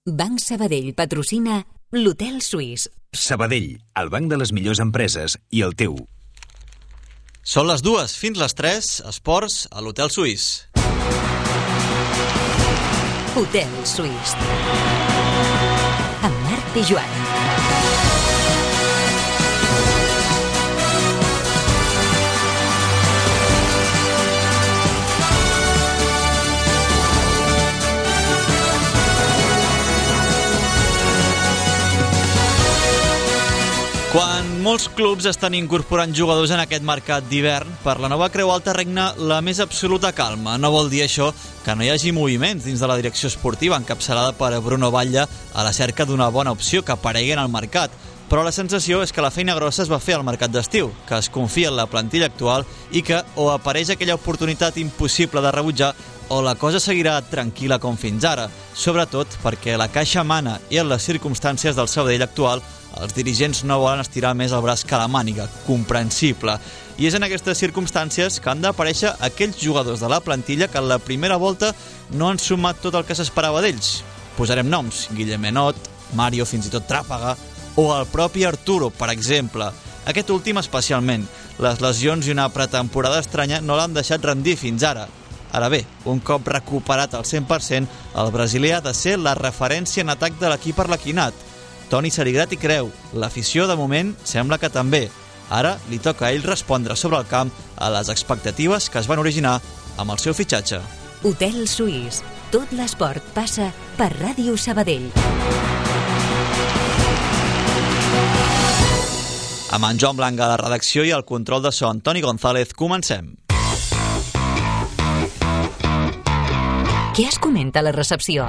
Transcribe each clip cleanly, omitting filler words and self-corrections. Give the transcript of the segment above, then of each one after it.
Banc Sabadell patrocina l'Hotel Suís. Sabadell, el banc de les millors empreses i el teu. Són les 2 fins les 3, esports a l'Hotel Suís. Hotel Suís. Amb Marc i Joan. Quan molts clubs estan incorporant jugadors en aquest mercat d'hivern, per la nova Creu Alta regna la més absoluta calma. No vol dir això que no hi hagi moviments dins de la direcció esportiva encapçalada per Bruno Batlle a la cerca d'una bona opció que aparegui en el mercat. Però la sensació és que la feina grossa es va fer al mercat d'estiu, que es confia en la plantilla actual i que o apareix aquella oportunitat impossible de rebutjar o la cosa seguirà tranquil·la com fins ara, sobretot perquè la caixa mana i en les circumstàncies del Sabadell actual els dirigents no volen estirar més el braç que la màniga, comprensible. I és en aquestes circumstàncies que han d'aparèixer aquells jugadors de la plantilla que en la primera volta no han sumat tot el que s'esperava d'ells. Posarem noms, Guillem Enot, Mario, fins i tot Tràpaga, o el propi Arturo, per exemple. Aquest últim especialment. Les lesions i una pretemporada estranya no l'han deixat rendir fins ara. Ara bé, un cop recuperat al 100%, el brasiler ha de ser la referència en atac de l'equip arlequinat. Toni Sarigrat hi creu. L'afició, de moment, sembla que també. Ara li toca a ell respondre sobre el camp a les expectatives que es van originar amb el seu fitxatge. Hotel Suís. Tot l'esport passa per Ràdio Sabadell. Amb en Joan Blanca a la redacció i el control de so Antoni González, comencem. Què es comenta a la recepció?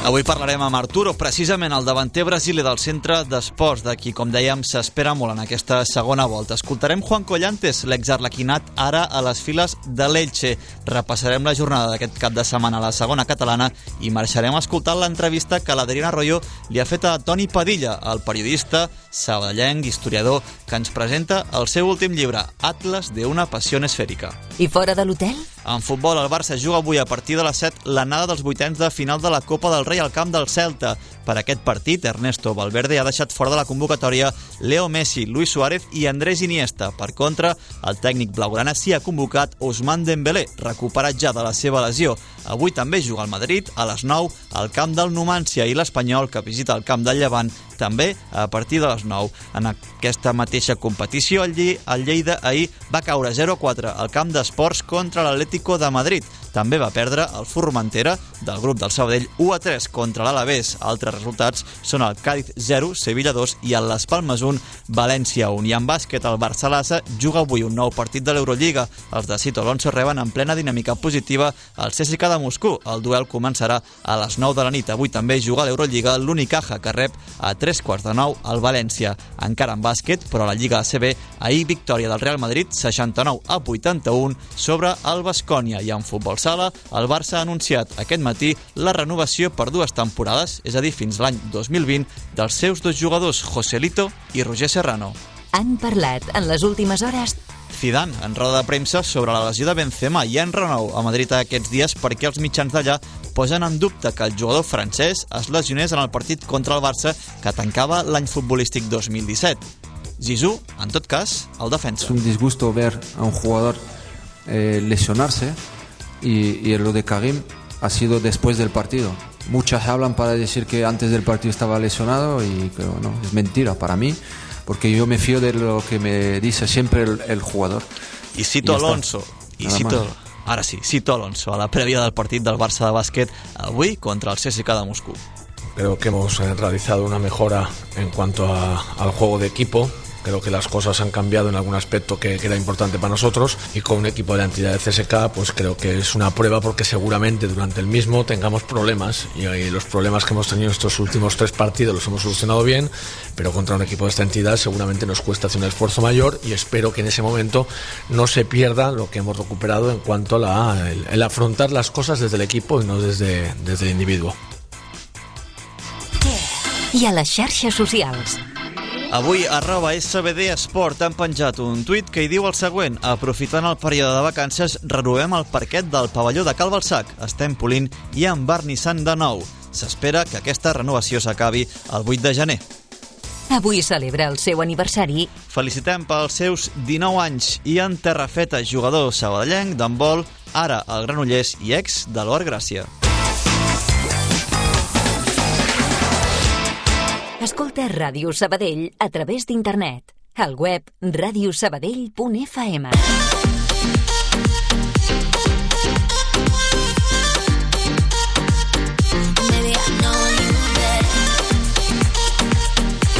Avui parlarem amb Arturo, precisament el davanter brasiler del centre d'esports, de qui, com dèiem, s'espera molt en aquesta segona volta. Escoltarem Juan Collantes, l'exarlequinat, ara a les files de l'Elche. Repassarem la jornada d'aquest cap de setmana a la segona catalana i marxarem escoltant l'entrevista que l'Adriana Arroyo li ha fet a Toni Padilla, el periodista sabadellenc, historiador, que ens presenta el seu últim llibre, Atlas de una pasión esférica. I fora de l'hotel? En futbol, el Barça juga avui a partir de les 7 l'anada dels vuitens de final de la Copa del Rei al camp del Celta. Per aquest partit, Ernesto Valverde ha deixat fora de la convocatòria Leo Messi, Luis Suárez i Andrés Iniesta. Per contra, el tècnic blaugrana s'hi ha convocat Ousmane Dembélé, recuperat ja de la seva lesió. Avui també juga el Madrid a les 9 al camp del Numancia i l'Espanyol, que visita el camp del Llevant, també a partir de les 9. En aquesta mateixa competició, el Lleida ahir va caure 0-4 al camp d'esports contra l'Atlético de Madrid. També va perdre el Formentera del grup del Sabadell 1-3 contra l'Alavés. Altres resultats són el Cádiz 0, Sevilla 2 i el Las Palmas 1, València 1. I en bàsquet, el Barça-Lassa juga avui un nou partit de l'Eurolliga. Els de Sito Alonso reben en plena dinàmica positiva el CSKA de Moscou. El duel començarà a les 9 de la nit. Avui també juga a l'Eurolliga l'Unicaja, que rep a 3:45 al València. Encara en bàsquet, però a la Lliga ACB, ahir victòria del Real Madrid 69-81 sobre el Baskonia. I en futbol sala, el Barça ha anunciat aquest matí la renovació per 2 temporades, és a dir, fins l'any 2020, dels seus 2 jugadors, Joselito i Roger Serrano. Han parlat en les últimes hores Zidane, en roda de premsa, sobre la lesió de Benzema i en renou a Madrid aquests dies perquè els mitjans d'allà posen en dubte que el jugador francès es lesionés en el partit contra el Barça que tancava l'any futbolístic 2017. Zizou, en tot cas, el defensa. Es un disgusto ver a un jugador lesionarse y lo de Karim ha sido después del partido. Muchas hablan para decir que antes del partido estaba lesionado y pero no, es mentira para mí, porque yo me fío de lo que me dice siempre el jugador. I cito Alonso, cito Alonso a la prèvia del partit del Barça de bàsquet avui contra el CSKA de Moscú. Creo que hemos realizado una mejora en cuanto al juego de equipo. Creo que las cosas han cambiado en algún aspecto que era importante para nosotros, y con un equipo de la entidad de CSKA pues creo que es una prueba, porque seguramente durante el mismo tengamos problemas, y los problemas que hemos tenido estos últimos 3 partidos los hemos solucionado bien, pero contra un equipo de esta entidad seguramente nos cuesta hacer un esfuerzo mayor, y espero que en ese momento no se pierda lo que hemos recuperado en cuanto a el afrontar las cosas desde el equipo y no desde el individuo. I a les xarxes socials. Avui, @SBD Esport han penjat un tuit que hi diu el següent: aprofitant el període de vacances, renovem el parquet del pavelló de Cal Balsac. Estem polint i envernissant de nou. S'espera que aquesta renovació s'acabi el 8 de gener. Avui celebra el seu aniversari. Felicitem pels seus 19 anys i en terra feta, jugador sabadellenc d'handbol, ara al Granollers i ex de l'Or Gràcia. Escolta Ràdio Sabadell a través d'internet. Al web radiosabadell.fm.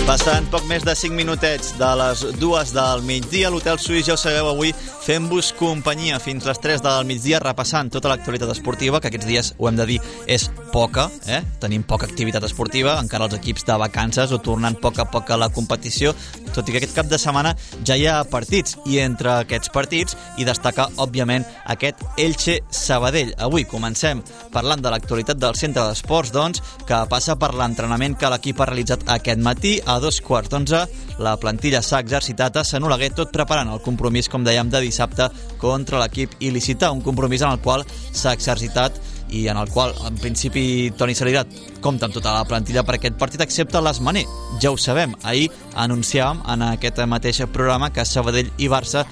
Passant poc més de 5 minutets de les 2 del migdia, l'Hotel Suís, ja ho sabeu, avui fem-vos companyia fins les 3 del migdia, repassant tota l'actualitat esportiva, que aquests dies, ho hem de dir, és poca, tenim poca activitat esportiva, encara els equips de vacances o tornant a poc a la competició, tot i que aquest cap de setmana ja hi ha partits, i entre aquests partits hi destaca, òbviament, aquest Elche-Sabadell. Avui comencem parlant de l'actualitat del centre d'esports, doncs, que passa per l'entrenament que l'equip ha realitzat aquest matí. A 2:15, la plantilla s'ha exercitat a Sant Oleguer, tot preparant el compromís, com dèiem, de dissabte contra l'equip il·licità, un compromís en el qual s'ha exercitat i en el qual, en principi, Toni Salirat compta amb tota la plantilla per aquest partit, excepte l'Esmané. Ja ho sabem, ahir anunciàvem en aquest mateix programa que Sabadell i Barça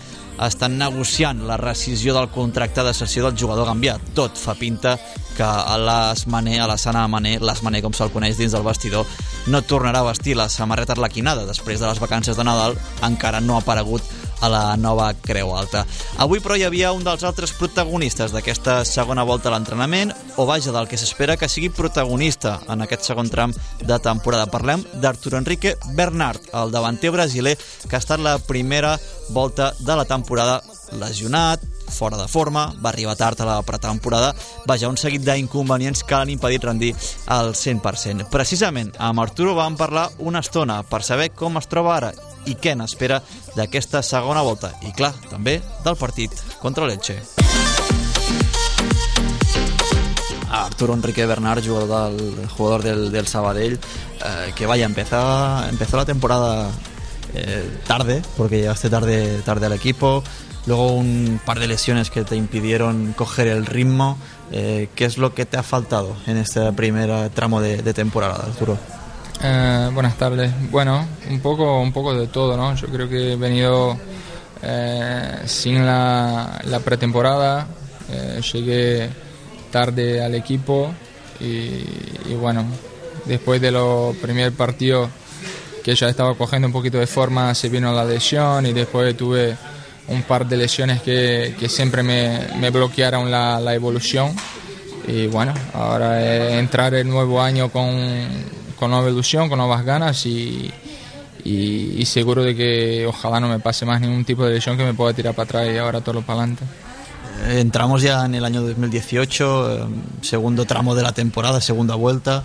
estan negociant la rescisió del contracte de cessió del jugador gambià. Tot fa pinta que l'Esmané, Alassane Mané, l'Esmané com se'l coneix dins del vestidor, no tornarà a vestir la samarreta arlequinada. Després de les vacances de Nadal encara no ha aparegut a la nova Creu Alta. Avui, però, hi havia un dels altres protagonistes d'aquesta segona volta a l'entrenament, o vaja, del que s'espera que sigui protagonista en aquest segon tram de temporada. Parlem d'Arturo Henrique Bernard, el davanter brasiler que ha estat la primera volta de la temporada lesionat, fora de forma, va arribar tard a la pretemporada, vaja, un seguit d'inconvenients que l'han impedit rendir al 100%. Precisament amb Arturo vam parlar una estona per saber com es troba ara i què n'espera d'aquesta segona volta i, clar, també del partit contra l'Elche. Arturo Enrique Bernard, jugador del Sabadell, que vaya, empezó la temporada tarde, porque llegaste tarde al equipo, luego un par de lesiones que te impidieron coger el ritmo. ¿Qué es lo que te ha faltado en este primer tramo de temporada, Arturo? Buenas tardes. Bueno, un poco de todo, ¿no? Yo creo que he venido sin la pretemporada, llegué tarde al equipo y bueno, después de los primeros partidos que ya estaba cogiendo un poquito de forma, se vino la lesión y después tuve un par de lesiones que siempre me bloquearon la evolución. Y bueno, ahora entrar el nuevo año con nueva ilusión, con nuevas ganas y seguro de que ojalá no me pase más ningún tipo de lesión que me pueda tirar para atrás y ahora todo para adelante. Entramos ya en el año 2018, segundo tramo de la temporada, segunda vuelta.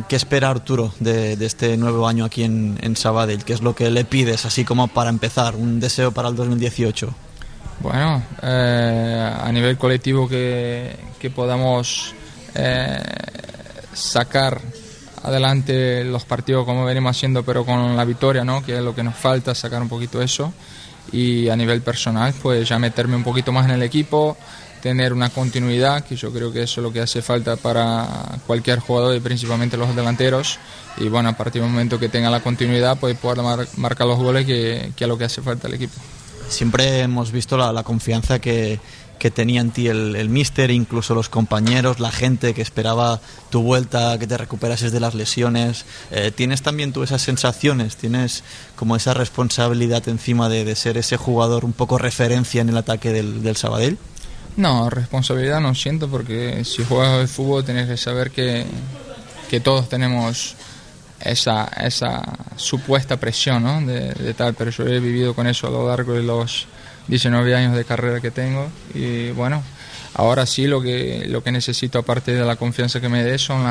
¿Qué espera Arturo de este nuevo año aquí en Sabadell? ¿Qué es lo que le pides, así como para empezar, un deseo para el 2018? Bueno, a nivel colectivo que podamos sacar adelante los partidos como venimos haciendo, pero con la victoria, ¿no? Que es lo que nos falta, sacar un poquito eso. Y a nivel personal, pues ya meterme un poquito más en el equipo, tener una continuidad, que yo creo que eso es lo que hace falta para cualquier jugador y principalmente los delanteros. Y bueno, a partir del momento que tenga la continuidad, pues poder marcar los goles, que es lo que hace falta al equipo. Siempre hemos visto la confianza que tenía en ti el míster, incluso los compañeros, la gente que esperaba tu vuelta, que te recuperases de las lesiones. ¿Tienes también tú esas sensaciones? ¿Tienes como esa responsabilidad encima de ser ese jugador un poco referencia en el ataque del Sabadell? No, responsabilidad no siento, porque si juegas al fútbol tienes que saber que todos tenemos esa supuesta presión, ¿no? de tal, pero yo he vivido con eso a lo largo de los 19 años de carrera que tengo y bueno, ahora sí lo que necesito, aparte de la confianza que me dé, son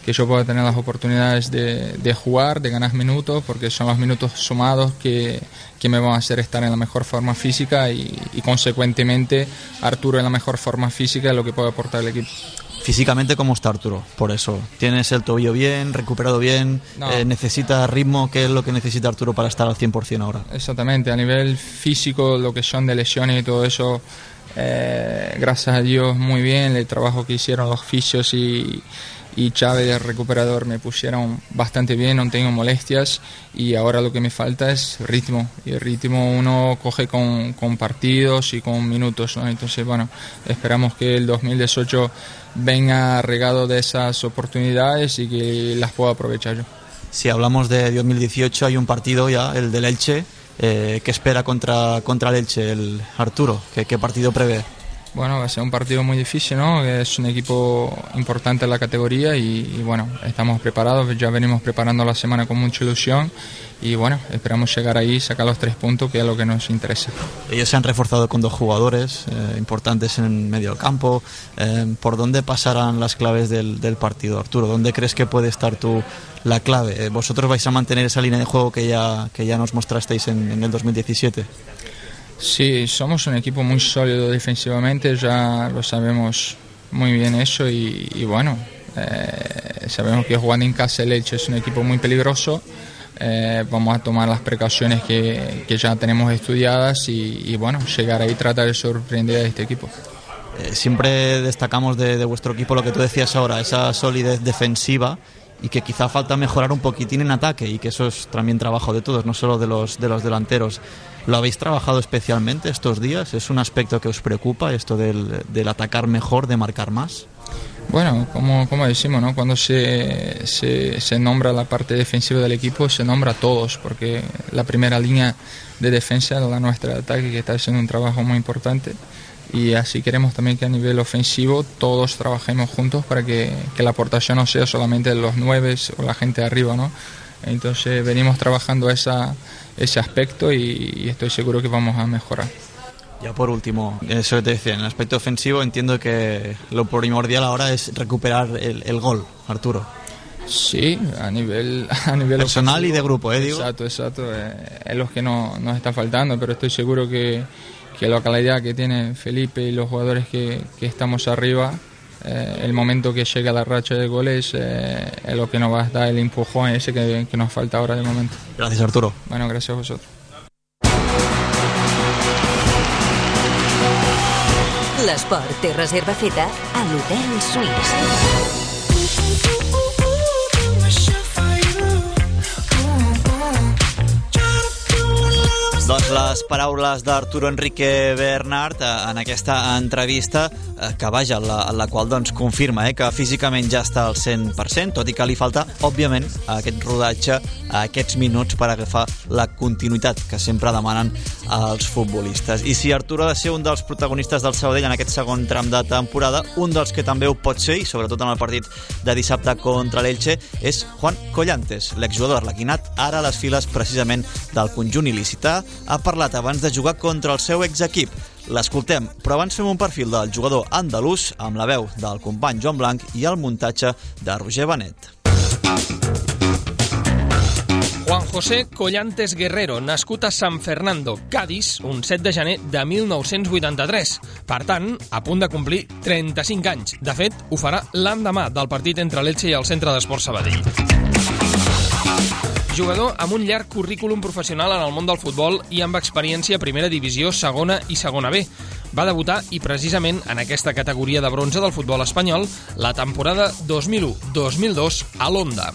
que yo pueda tener las oportunidades de jugar, de ganar minutos, porque son los minutos sumados que me van a hacer estar en la mejor forma física y consecuentemente Arturo en la mejor forma física es lo que puede aportar el equipo. Físicamente, ¿cómo está Arturo? Por eso, ¿tienes el tobillo bien, recuperado bien? No. ¿Necesita ritmo? ¿Qué es lo que necesita Arturo para estar al 100% ahora? Exactamente, a nivel físico, lo que son de lesiones y todo eso, gracias a Dios muy bien. El trabajo que hicieron los fisios y Chávez, el recuperador, me pusieron bastante bien, no tengo molestias, y ahora lo que me falta es ritmo, y el ritmo uno coge con partidos y con minutos, ¿no? Entonces, bueno, esperamos que el 2018 venga regado de esas oportunidades y que las pueda aprovechar yo. Si hablamos de 2018, hay un partido ya, el del Elche. ¿Qué espera contra el Elche, el Arturo? ¿Qué partido prevé? Bueno, va a ser un partido muy difícil, ¿no? Es un equipo importante en la categoría y bueno, estamos preparados, ya venimos preparando la semana con mucha ilusión y bueno, esperamos llegar ahí y sacar los 3 puntos, que es lo que nos interesa. Ellos se han reforzado con 2 jugadores importantes en medio del campo. ¿Por dónde pasarán las claves del partido, Arturo? ¿Dónde crees que puede estar la clave? ¿Vosotros vais a mantener esa línea de juego que ya nos mostrasteis en el 2017? Sí, somos un equipo muy sólido defensivamente, ya lo sabemos muy bien eso y bueno, sabemos que jugando en casa el Elche es un equipo muy peligroso. Vamos a tomar las precauciones que ya tenemos estudiadas y bueno, llegar ahí y tratar de sorprender a este equipo. Siempre destacamos de vuestro equipo lo que tú decías ahora, esa solidez defensiva, y que quizá falta mejorar un poquitín en ataque, y que eso es también trabajo de todos, no solo de los delanteros. ¿Lo habéis trabajado especialmente estos días? ¿Es un aspecto que os preocupa, esto del atacar mejor, de marcar más? Bueno, como decimos, ¿no? Cuando se nombra la parte defensiva del equipo, se nombra a todos, porque la primera línea de defensa es la nuestra de ataque, que está haciendo un trabajo muy importante, y así queremos también que a nivel ofensivo todos trabajemos juntos para que la aportación no sea solamente de los 9 o la gente de arriba, ¿no? Entonces venimos trabajando ese aspecto y estoy seguro que vamos a mejorar. Ya por último, eso que te decía, en el aspecto ofensivo entiendo que lo primordial ahora es recuperar el gol, Arturo. Sí, a nivel personal ofensivo, y de grupo, digo. Exacto, es lo que nos está faltando, pero estoy seguro que la calidad que tiene Felipe y los jugadores que estamos arriba, el momento que llega la racha de goles es lo que nos va a dar el empujón ese que nos falta ahora de momento. Gracias, Arturo. Bueno, gracias a vosotros. L'esport té reserva feta a l'Hotel Suís. Doncs les paraules d'Arturo Enrique Bernard en aquesta entrevista que vaja, en la qual doncs, confirma que físicament ja està al 100%, tot i que li falta, òbviament, aquest rodatge, aquests minuts per agafar la continuïtat que sempre demanen els futbolistes. I si Arturo ha de ser un dels protagonistes del Sabadell en aquest segon tram de temporada, un dels que també ho pot ser, i sobretot en el partit de dissabte contra l'Elche, és Juan Collantes, l'exjugador arlequinat, ara a les files precisament del conjunt il·licità. Ha parlat abans de jugar contra el seu exequip. L'escoltem, però abans fem un perfil del jugador andalús amb la veu del company Joan Blanc i el muntatge de Roger Benet. Juan José Collantes Guerrero, nascut a San Fernando, Cádiz, un 7 de gener de 1983. Per tant, a punt de complir 35 anys. De fet, ho farà l'endemà del partit entre l'Elche i el Centre d'Esports Sabadell. Jugador amb un llarg currículum professional en el món del futbol i amb experiència a primera divisió, segona i segona B. Va debutar, i precisament en aquesta categoria de bronze del futbol espanyol, la temporada 2001-2002 a l'Onda.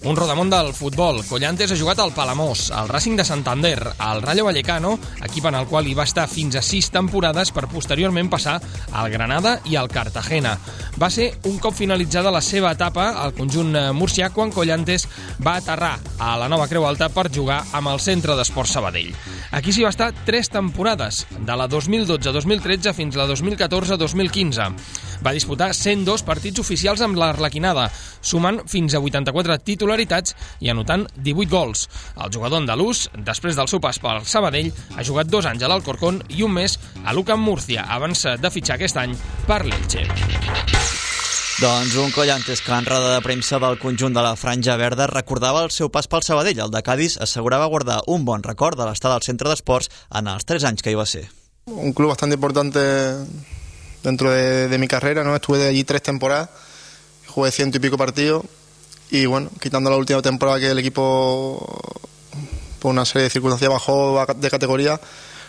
Un rodamón del futbol. Collantes ha jugat al Palamós, al Racing de Santander, al Rayo Vallecano, equip en el qual hi va estar fins a 6 temporades per posteriorment passar al Granada i al Cartagena. Va ser un cop finalitzada la seva etapa al conjunt murcià quan Collantes va aterrar a la Nova Creu Alta per jugar amb el Centre d'Esports Sabadell. Aquí s'hi va estar 3 temporades, de la 2012-2013 fins a la 2014-2015. Va disputar 102 partits oficials amb l'Arlequinada, sumant fins a 84 titularitats i anotant 18 gols. El jugador andalús, després del seu pas pel Sabadell, ha jugat 2 anys a l'Alcorcón i un mes a l'UCAM Murcia, abans de fitxar aquest any per l'Elche. Doncs un Collantes que en roda de premsa del conjunt de la Franja Verda recordava el seu pas pel Sabadell. El de Cádiz assegurava guardar un bon record de l'estada al Centre d'Esports en els 3 anys que hi va ser. Un club bastante importante dentro de mi carrera, ¿no? Estuve allí 3 temporadas, jugué 100 y pico partidos y bueno, quitando la última temporada que el equipo por una serie de circunstancias bajó de categoría,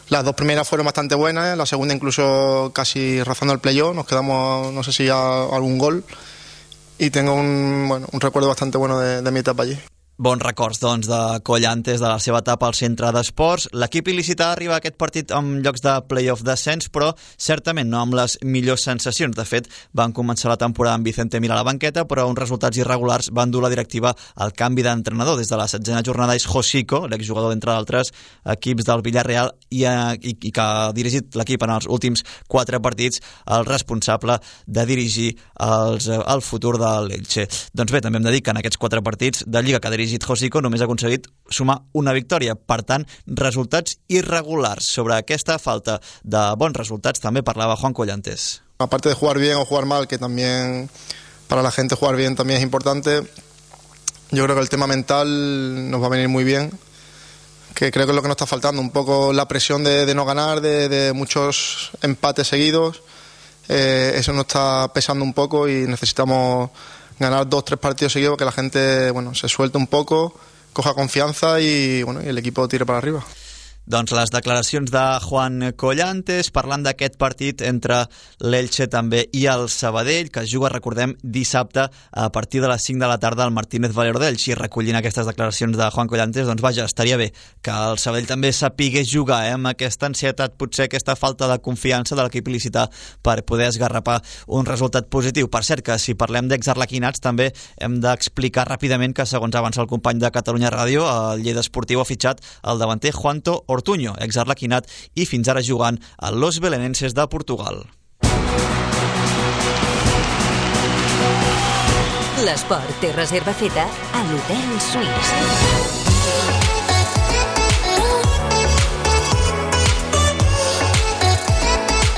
las 2 primeras fueron bastante buenas, la segunda incluso casi rozando el playoff, nos quedamos no sé si a algún gol y tengo un recuerdo bastante bueno de mi etapa allí. Bons records, doncs, de Collantes, de la seva etapa al centre d'esports. L'equip il·licità arriba a aquest partit amb llocs de play-off descens, però certament no amb les millors sensacions. De fet, van començar la temporada amb Vicente Mira a la banqueta, però uns resultats irregulars van dur la directiva al canvi d'entrenador. Des de la 16a jornada és Josico, l'exjugador d'entre d'altres equips del Villarreal i que ha dirigit l'equip en els últims 4 partits, el responsable de dirigir el futur de l'Elche. Doncs bé, també hem de dir que en aquests 4 partits de Lliga que ha dirigit Josico només ha aconseguit sumar una victòria. Per tant, resultats irregulars. Sobre aquesta falta de bons resultats també parlava Juan Collantes. Aparte de jugar bien o jugar mal, que también para la gente jugar bien también es importante, yo creo que el tema mental nos va a venir muy bien, que creo que es lo que nos está faltando, un poco la presión de no ganar, de muchos empates seguidos, eso nos está pesando un poco y necesitamos ganar 2-3 partidos seguidos, que la gente se suelte un poco, coja confianza y el equipo tire para arriba. Doncs les declaracions de Juan Collantes parlant d'aquest partit entre l'Elche també i el Sabadell, que es juga, recordem, dissabte a partir de les 5 de la tarda al Martínez Valero d'Elx. I recollint aquestes declaracions de Juan Collantes, doncs vaja, estaria bé que el Sabadell també sapigués jugar amb aquesta ansietat, potser aquesta falta de confiança de l'equip il·licità per poder esgarrapar un resultat positiu. Per cert, que si parlem d'exarlequinats també hem d'explicar ràpidament que, segons avança el company de Catalunya Ràdio, el Lleida Esportiu ha fitxat el davanter Juanto Ortuño, exarlequinat i fins ara jugant a Los Belenenses de Portugal. L'esport té reserva feta a l'Hotel Suís.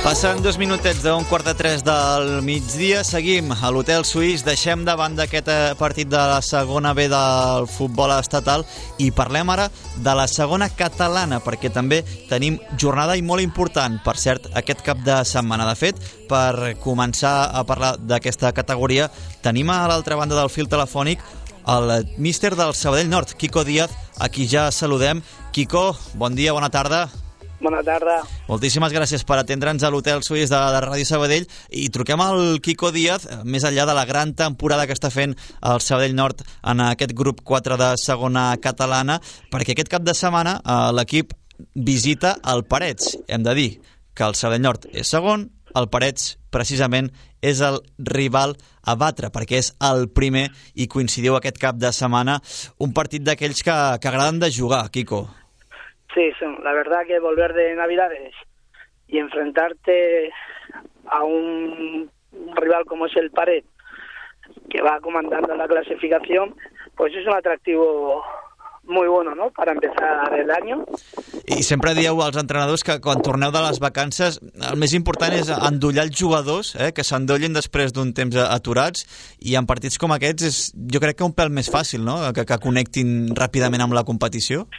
Passen 2 minutets d'un 2:45 del migdia. Seguim a l'Hotel Suís. Deixem de banda aquest partit de la segona B del futbol estatal i parlem ara de la segona catalana, perquè també tenim jornada i molt important, per cert, aquest cap de setmana. De fet, per començar a parlar d'aquesta categoria, tenim a l'altra banda del fil telefònic el míster del Sabadell Nord, Quico Díaz, a qui ja saludem. Quico, bon dia, bona tarda. Bona tarda. Moltíssimes gràcies per atendre'ns a l'Hotel Suís de Ràdio Sabadell i truquem al Quico Díaz, més enllà de la gran temporada que està fent el Sabadell Nord en aquest grup 4 de segona catalana, perquè aquest cap de setmana l'equip visita el Parets. Hem de dir que el Sabadell Nord és segon, el Parets precisament és el rival a batre, perquè és el primer i coincidiu aquest cap de setmana, un partit d'aquells que agraden de jugar, Quico. Sí, la verdad que volver de Navidades y enfrentarte a un rival como es el Paret, que va comandando la clasificación, pues es un atractivo muy bueno, ¿no?, para empezar el año. I sempre dieu als entrenadors que quan torneu de les vacances el més important és endollar els jugadors, que s'endollin després d'un temps aturats, i en partits com aquests és, jo crec que un pèl més fàcil, no?, que connectin ràpidament amb la competició.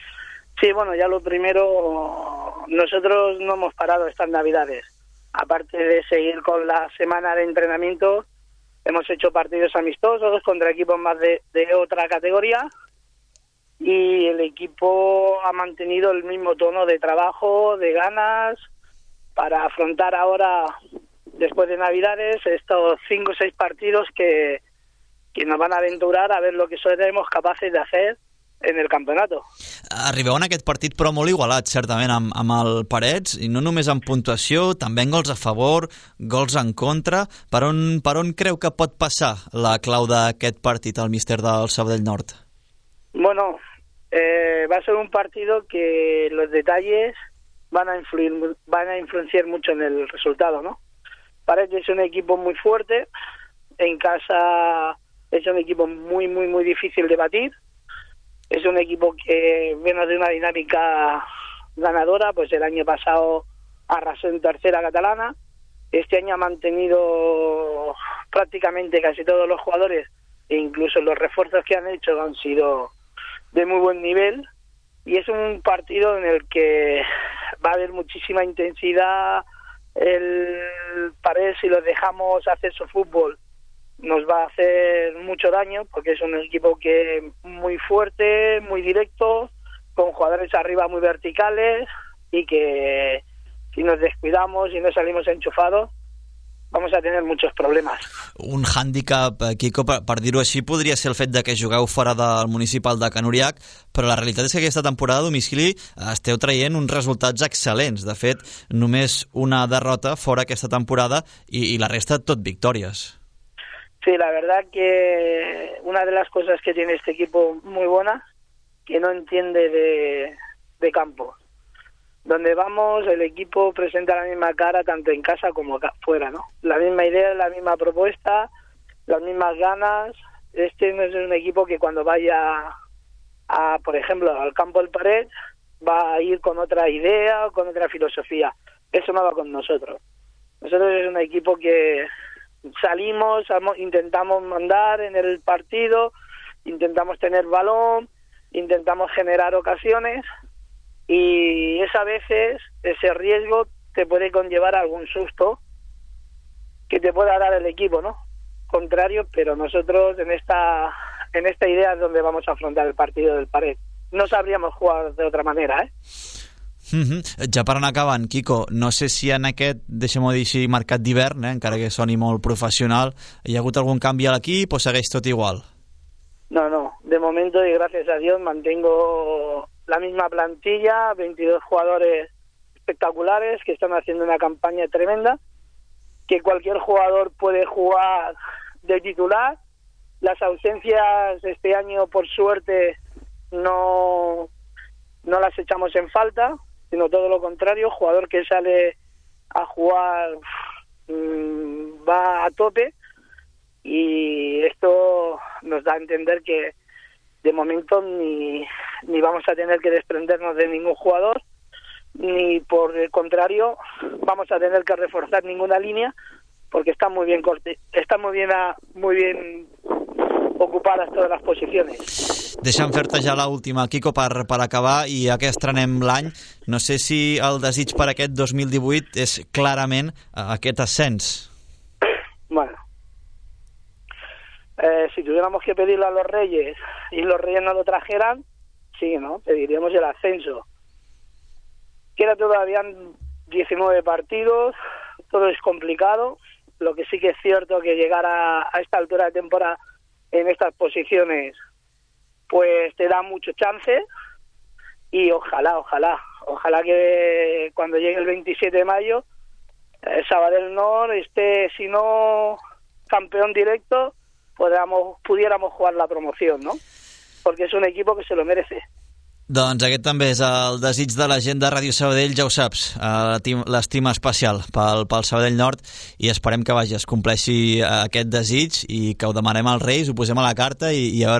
Sí, bueno, ya lo primero, nosotros no hemos parado estas Navidades. Aparte de seguir con la semana de entrenamiento, hemos hecho partidos amistosos contra equipos más de otra categoría y el equipo ha mantenido el mismo tono de trabajo, de ganas, para afrontar ahora, después de Navidades, estos 5 o 6 partidos que nos van a aventurar a ver lo que seremos capaces de hacer en el campionato. Arribeu en aquest partit però molt igualat, certament, amb el Parets, i no només en puntuació, també en gols a favor, gols en contra. Per on creu que pot passar la clau d'aquest partit, el míster del Sabadell Nord? Bueno, va a ser un partido que los detalles van a influenciar mucho en el resultado, ¿no? Parets es un equipo muy fuerte, en casa es un equipo muy, muy, muy difícil de batir. Es un equipo que viene de una dinámica ganadora, pues el año pasado arrasó en tercera catalana, este año ha mantenido prácticamente casi todos los jugadores e incluso los refuerzos que han hecho han sido de muy buen nivel, y es un partido en el que va a haber muchísima intensidad, el Parets, si los dejamos hacer su fútbol, nos va a hacer mucho daño, porque es un equipo que muy fuerte, muy directo, con jugadores arriba muy verticales, y que si nos descuidamos y no salimos enchufados, vamos a tener muchos problemes. Un hàndicap, Quico, per dir-ho així, podria ser el fet de que jugueu fora del municipal de Can Uriach, però la realitat és que aquesta temporada a domicili esteu traient uns resultats excel·lents. De fet, només una derrota fora aquesta temporada i la resta tot victòries. Sí, la verdad que una de las cosas que tiene este equipo muy buena, que no entiende de campo. Donde vamos, el equipo presenta la misma cara tanto en casa como fuera, ¿no? La misma idea, la misma propuesta, las mismas ganas. Este no es un equipo que cuando vaya por ejemplo, al campo del Parets, va a ir con otra idea, con otra filosofía. Eso no va con nosotros. Nosotros es un equipo que salimos, intentamos mandar en el partido, intentamos tener balón, intentamos generar ocasiones, y a veces ese riesgo te puede conllevar a algún susto que te pueda dar el equipo, ¿no? Contrario, pero nosotros en esta idea es donde vamos a afrontar el partido del Parets. No sabríamos jugar de otra manera, ¿eh? Ja per anar acabant, Quico, no sé si en aquest, deixem-ho dir així, mercat d'hivern, encara que soni molt professional, hi ha hagut algun canvi a l'equip o segueix tot igual? No, de momento y gracias a Dios mantengo la misma plantilla, 22 jugadores espectaculares que están haciendo una campaña tremenda, que cualquier jugador puede jugar de titular. Las ausencias este año, por suerte, no las echamos en falta, sino todo lo contrario, jugador que sale a jugar va a tope, y esto nos da a entender que de momento ni vamos a tener que desprendernos de ningún jugador, ni por el contrario vamos a tener que reforzar ninguna línea, porque están muy bien ocupadas todas les posicions. Deixa'm fer-te ja l'última, Quico, per acabar, i ja que estrenem l'any, no sé si el desig per aquest 2018 és clarament aquest ascens. Bueno, si tuviéramos que pedirle a los Reyes y los Reyes no lo trajeran, sí, ¿no? Pediríamos el ascenso. Queda todavía 19 partidos, todo es complicado. Lo que sí que es cierto que llegar a esta altura de temporada en estas posiciones pues te da mucho chance, y ojalá que cuando llegue el 27 de mayo Sabadell Nord esté, si no campeón directo, pudiéramos jugar la promoción, ¿no? Porque es un equipo que se lo merece. Doncs aquest també és el desig de la gent de Ràdio Sabadell, ja ho saps, l'estima especial pel Sabadell Nord, i esperem que es compleixi aquest desig i que ho demanem als Reis, ho posem a la carta i a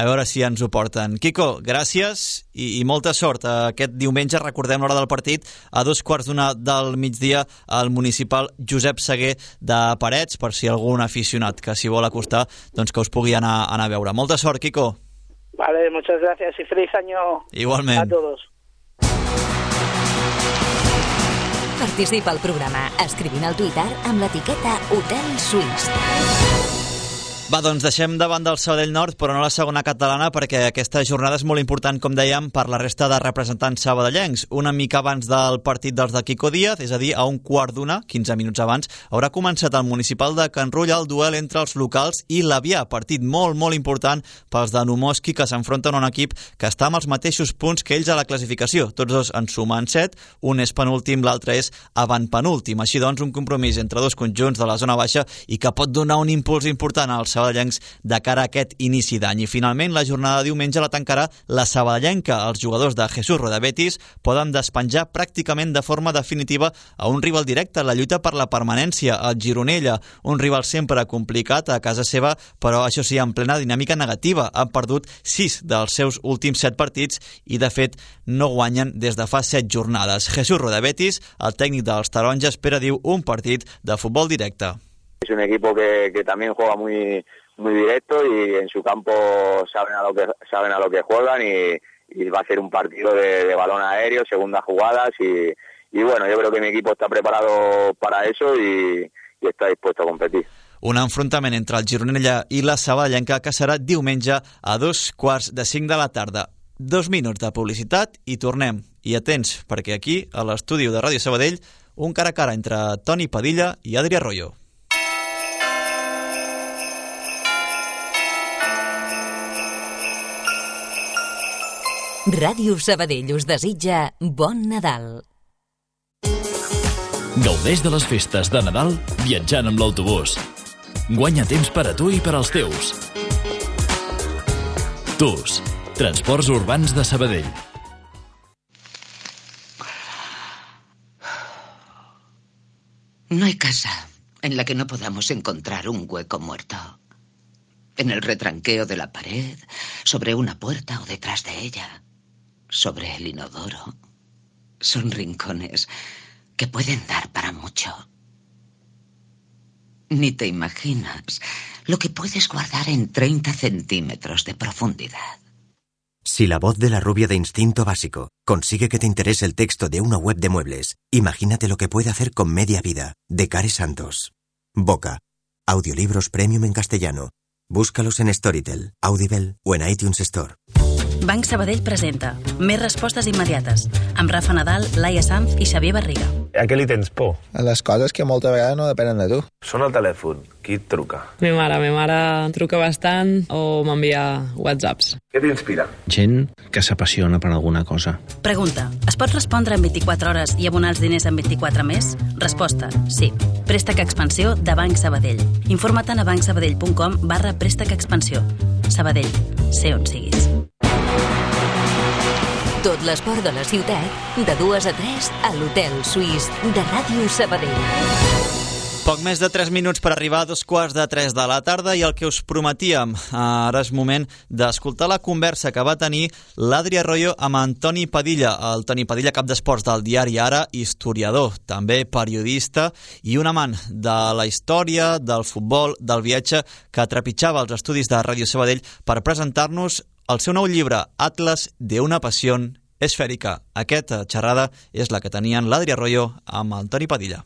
veure si ens ho porten. Quico, gràcies i molta sort. Aquest diumenge, recordem l'hora del partit, a 2:15 del migdia, al municipal Josep Seguer de Parets, per si algun aficionat que s'hi vol acostar, doncs que us pugui anar a veure. Molta sort, Quico. Vale, muchas gracias y feliz año. Igualment. A todos. Participa al programa escrivint al Twitter amb l'etiqueta Hotel Suís. Va, doncs deixem davant del Sabadell Nord, però no la segona catalana, perquè aquesta jornada és molt important, com dèiem, per la resta de representants sabadellencs. Una mica abans del partit dels de Quico Díaz, és a dir, a 1:15, 15 minuts abans, haurà començat al municipal de Can Rulla el duel entre els locals i l'Avià, partit molt important pels de Numoski, que s'enfronten a un equip que està amb els mateixos punts que ells a la classificació. Tots dos en sumen 7, un és penúltim, l'altre és avantpenúltim. Així doncs, un compromís entre dos conjunts de la zona baixa i que pot donar un impuls important als sabadellencs de cara a aquest inici d'any. I finalment la jornada de diumenge la tancarà la sabadellenca. Els jugadors de Jesús Rodabetis poden despenjar pràcticament de forma definitiva a un rival directe en la lluita per la permanència, el Gironella, un rival sempre complicat a casa seva, però això sí, en plena dinàmica negativa. Han perdut 6 dels seus últims 7 partits i de fet no guanyen des de fa 7 jornades. Jesús Rodabetis, el tècnic dels taronges, espera, diu, un partit de futbol directe. Es un equipo que también juega muy directo y en su campo saben a lo que juegan y va a ser un partido de balón aéreo, segundas jugadas y bueno, yo creo que mi equipo está preparado para eso y está dispuesto a competir. Un enfrontament entre el Gironella i la Sabadellenca que serà diumenge a 2:45 de la tarda. 2 minuts de publicitat i tornem. I atents, perquè aquí, a l'estudi de Ràdio Sabadell, un cara a cara entre Toni Padilla i Adri Arroyo. Ràdio Sabadell us desitja bon Nadal. Gaudeix de les festes de Nadal viatjant amb l'autobús. Guanya temps per a tu i per als teus. TUS, Transports Urbans de Sabadell. No hay casa en la que no podamos encontrar un hueco muerto. En el retranqueo de la pared, sobre una puerta o detrás de ella, sobre el inodoro. Son rincones que pueden dar para mucho. Ni te imaginas lo que puedes guardar en 30 centímetros de profundidad. Si la voz de la rubia de Instinto Básico consigue que te interese el texto de una web de muebles, imagínate lo que puede hacer con Media Vida, de Care Santos. Boca. Audiolibros premium en castellano. Búscalos en Storytel, Audible o en iTunes Store. Banc Sabadell presenta Més respostes immediates amb Rafa Nadal, Laia Sanz i Xavier Barriga. A què li tens por? A les coses que molta vegada no depenen de tu. Sona el telèfon. Qui et truca? Mi mare truca bastant o m'envia whatsapps. Què t'inspira? Gent que s'apassiona per alguna cosa. Pregunta, es pot respondre en 24 hores i abonar els diners en 24 més? Resposta, sí. Préstec Expansió de Banc Sabadell. Informa't a bancsabadell.com/préstec expansió. Sabadell, sé on siguis. Tot l'esport de la ciutat, de 2 a 3 a l'Hotel Suís de Ràdio Sabadell. Poc més de 3 minuts per arribar a 2:45 de la tarda i el que us prometíem, ara és moment d'escoltar la conversa que va tenir l'Adri Arroyo amb en Toni Padilla, el Toni Padilla, cap d'esports del diari Ara, historiador, també periodista i un amant de la història, del futbol, del viatge, que trepitjava els estudis de Ràdio Sabadell per presentar-nos el seu nou llibre, Atlas de una pasión esfèrica. Aquesta xerrada és la que tenien l'Adri Arroyo amb el Toni Padilla.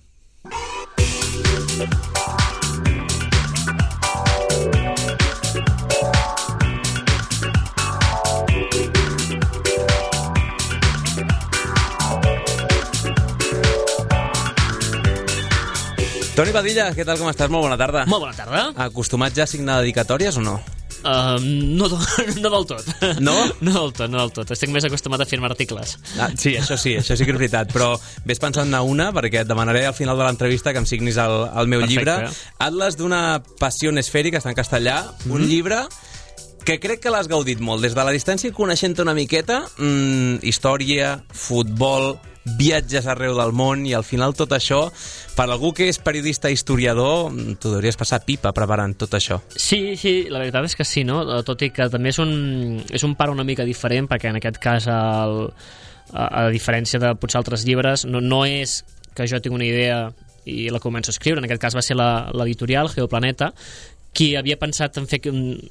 Toni Padilla, què tal, com estàs? Molt bona tarda. Molt bona tarda. Acostumat ja a signar dedicatòries o no? No del tot. No? No del tot. Estic més acostumat a firmar articles. Sí, això sí que és veritat. Però ves pensant-ne una, perquè et demanaré al final de l'entrevista que em signis el meu llibre. Atlas d'una passió esfèrica, està en castellà. Un llibre que crec que l'has gaudit molt. Des de la distància, coneixent-te una miqueta, història, futbol, viatges arreu del món, i al final tot això, per algú que és periodista i historiador, t'ho hauries passar pipa preparant tot això. Sí, la veritat és que sí, no? Tot i que també és un pare una mica diferent, perquè en aquest cas, a diferència de potser altres llibres, no és que jo tinc una idea i la començo a escriure. En aquest cas va ser l'editorial Geoplaneta, qui havia pensat en fer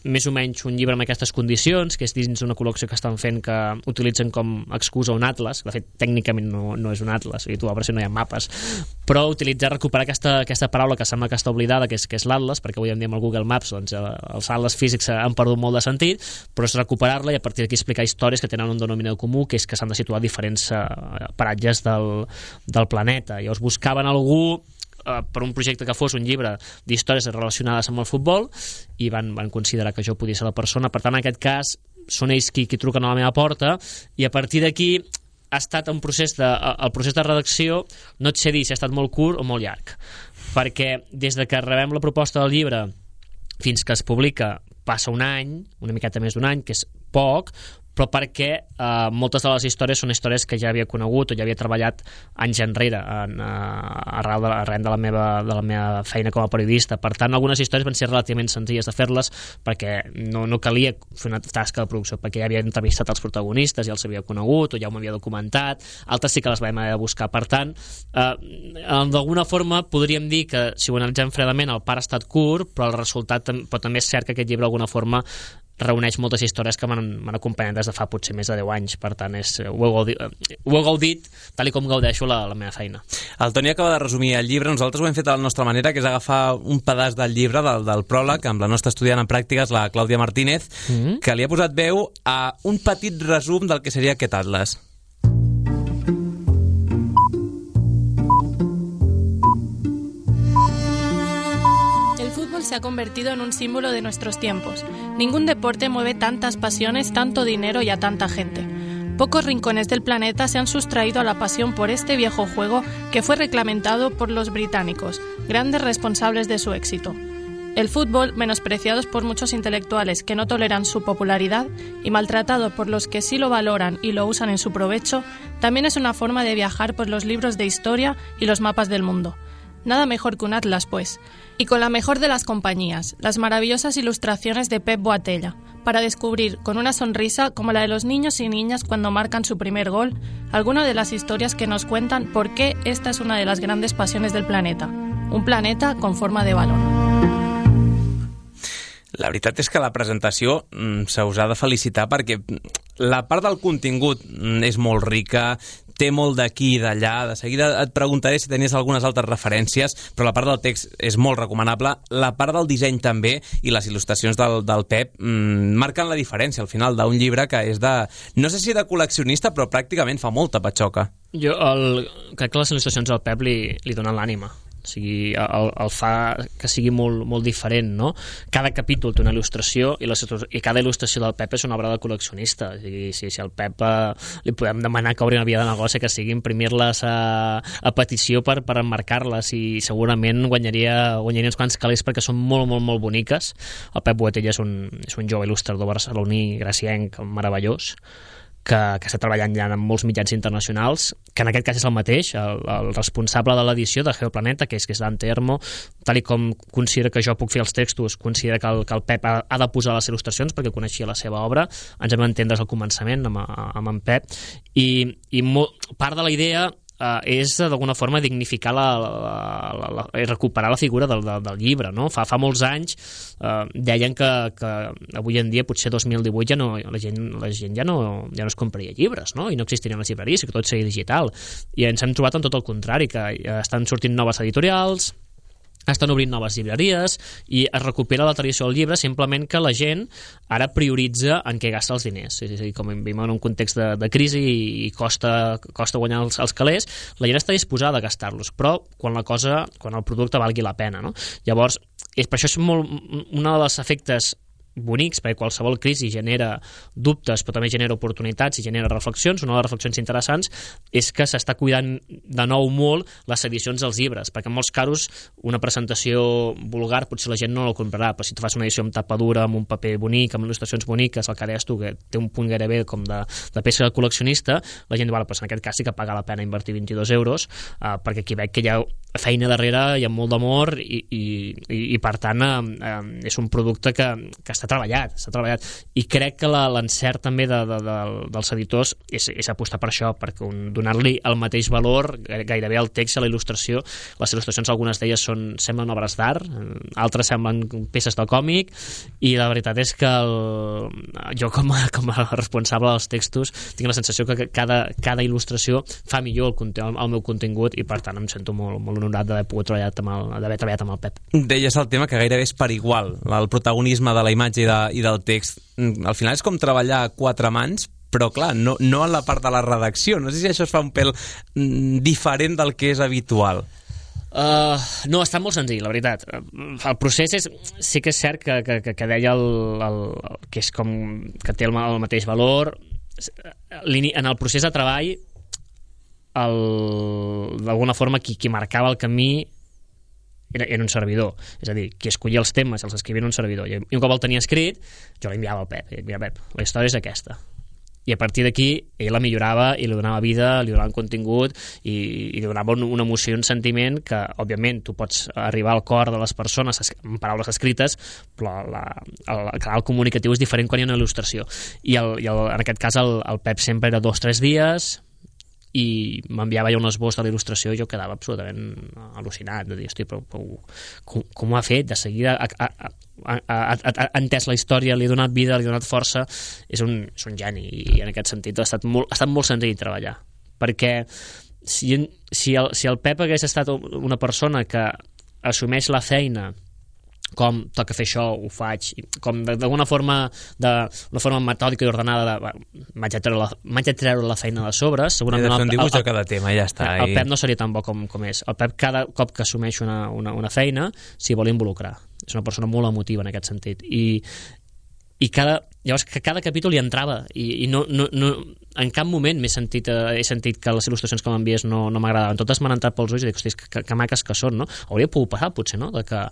més o menys un llibre amb aquestes condicions, que és dins una col·lecció que estan fent que utilitzen com excusa un atles, que de fet tècnicament no és un atles, i tu a veure si no hi ha mapes, però recuperar aquesta paraula que sembla que està oblidada, que és l'atles, perquè avui en dia amb el Google Maps doncs, els atles físics han perdut molt de sentit, però és recuperar-la i a partir d'aquí explicar històries que tenen un denominador comú, que és que s'han de situar diferents paratges del planeta. Llavors buscaven algú per un projecte que fos un llibre d'històries relacionades amb el futbol, i van considerar que jo podia ser la persona. Per tant, en aquest cas són ells qui truquen a la meva porta, i a partir d'aquí ha estat el procés de redacció. No et sé dir si ha estat molt curt o molt llarg, perquè des de que rebem la proposta del llibre fins que es publica passa un any, una miqueta més d'un any, que és poc, però perquè moltes de les històries són històries que ja havia conegut o ja havia treballat anys enrere arran de la meva feina com a periodista. Per tant, algunes històries van ser relativament senzilles de fer-les, perquè no calia fer una tasca de producció, perquè ja havia entrevistat els protagonistes, ja els havia conegut o ja m'havia documentat. Altres sí que les vam haver de buscar. Per tant, d'alguna forma podríem dir que, si ho analitzem fredament, el part ha estat curt, però el resultat, però també és cert que aquest llibre d'alguna forma reuneix moltes històries que m'han acompanyat des de fa potser més de 10 anys, per tant ho he gaudit tal i com gaudeixo la meva feina. El Toni acaba de resumir el llibre, nosaltres ho hem fet a la nostra manera, que és agafar un pedaç del llibre, del pròleg, amb la nostra estudiant en pràctiques, la Clàudia Martínez, que li ha posat veu a un petit resum del que seria aquest atles. Se ha convertido en un símbolo de nuestros tiempos. Ningún deporte mueve tantas pasiones, tanto dinero y a tanta gente. Pocos rincones del planeta se han sustraído a la pasión por este viejo juego que fue reglamentado por los británicos, grandes responsables de su éxito. El fútbol, menospreciado por muchos intelectuales que no toleran su popularidad y maltratado por los que sí lo valoran y lo usan en su provecho, también es una forma de viajar por los libros de historia y los mapas del mundo. Nada mejor que un atlas, pues. Y con la mejor de las compañías, las maravillosas ilustraciones de Pep Boatella, para descubrir con una sonrisa, como la de los niños y niñas cuando marcan su primer gol, alguna de las historias que nos cuentan por qué esta es una de las grandes pasiones del planeta. Un planeta con forma de balón. La veritat és que la presentació se us ha de felicitar perquè la part del contingut és molt rica, té molt d'aquí i d'allà. De seguida et preguntaré si tenies algunes altres referències, però la part del text és molt recomanable. La part del disseny també, i les il·lustracions del Pep marquen la diferència al final d'un llibre que és de, no sé si de col·leccionista, però pràcticament fa molta patxoca. Jo crec que les il·lustracions del Pep li donen l'ànima. O sigui, el fa que sigui molt diferent, no? Cada capítol té una il·lustració i cada il·lustració del Pep és una obra de col·leccionista. O sigui, si al Pep li podem demanar que obri una via de negoci, que sigui imprimir-les a petició per emmarcar-les, i segurament guanyaria uns quants calés perquè són molt boniques. El Pep Boatella és un jove il·lustrador barceloní gracienc meravellós, que està treballant ja en molts mitjans internacionals, que en aquest cas és el mateix, el responsable de l'edició de Geoplaneta, que és Dante Ermo, tal i com considera que jo puc fer els textos, considera que el Pep ha de posar les il·lustracions perquè coneixia la seva obra. Ens hem d'entendre al començament amb en Pep, i part de la idea és d'alguna forma dignificar i recuperar la figura del llibre, no? Fa molts anys deien que avui en dia, potser 2018, la gent ja no es compraria llibres, no? I no existirien les llibreries, que tot seria digital, i ens hem trobat en tot el contrari, que estan sortint noves editorials, estan obrint noves llibreries i es recupera la tradició del llibre, simplement que la gent ara prioritza en què gasta els diners. És a dir, com vivim en un context de crisi i costa guanyar els calés, la gent està disposada a gastar-los, però quan el producte valgui la pena, no? Llavors, per això és un dels efectes bonics, perquè qualsevol crisi genera dubtes, però també genera oportunitats i genera reflexions. Una de les reflexions interessants és que s'està cuidant de nou molt les edicions dels llibres, perquè en molts casos una presentació vulgar potser la gent no la comprarà, però si tu fas una edició amb tapa dura, amb un paper bonic, amb il·lustracions boniques, el que deies tu, que té un punt gairebé com de peça de col·leccionista, la gent diu, en aquest cas sí que paga la pena invertir 22 euros, perquè aquí veig que hi ha feina darrere, hi ha molt d'amor i per tant és un producte que està treballat, i crec que l'encert també dels editors és apostar per això, perquè donar-li el mateix valor gairebé al text, a la il·lustració. Les il·lustracions, algunes d'elles semblen obres d'art, altres semblen peces de còmic, i la veritat és que jo com a responsable dels textos tinc la sensació que cada il·lustració fa millor el meu contingut, i per tant em sento molt honorat d'haver treballat amb el Pep. Deies el tema que gairebé és per igual, el protagonisme de la imatge i del text. Al final és com treballar a quatre mans, però clar, no en la part de la redacció. No sé si això es fa un pèl diferent del que és habitual. No, està molt senzill, la veritat. El procés sí que és cert que deia que és com que té el mateix valor. En el procés de treball, d'alguna forma qui marcava el camí era un servidor, és a dir, qui escollia els temes els escrivia en un servidor, i un cop el tenia escrit jo l'enviava al Pep, Pep, la història és aquesta, i a partir d'aquí ell la millorava i li donava vida, li donava un contingut i li donava una emoció, un sentiment que òbviament tu pots arribar al cor de les persones amb paraules escrites, però el canal comunicatiu és diferent quan hi ha una il·lustració, i en aquest cas el Pep sempre era 2 o 3 dies, i m'enviava ja un esbós de la il·lustració i jo quedava absolutament al·lucinat de dir, hosti, però com ho ha fet? De seguida ha entès la història, li ha donat vida, li ha donat força, és un geni, i en aquest sentit ha estat molt senzill treballar, perquè si el Pep hagués estat una persona que assumeix la feina com toca fer això, ho faig, com d'alguna forma, una forma metòdica i ordenada m'haig de treure la feina de sobre, segurament de fer un dibuix de cada tema, ja està. El Pep no seria tan bo com és. El Pep cada cop que assumeix una feina s'hi vol involucrar, és una persona molt emotiva en aquest sentit, i llavors que cada capítol hi entrava i no, en cap moment he sentit que les il·lustracions que m'envies no m'agradaven, totes m'han entrat pels ulls i dic, hosti, que maques que són, no? Hauria pogut passar, potser, no? De que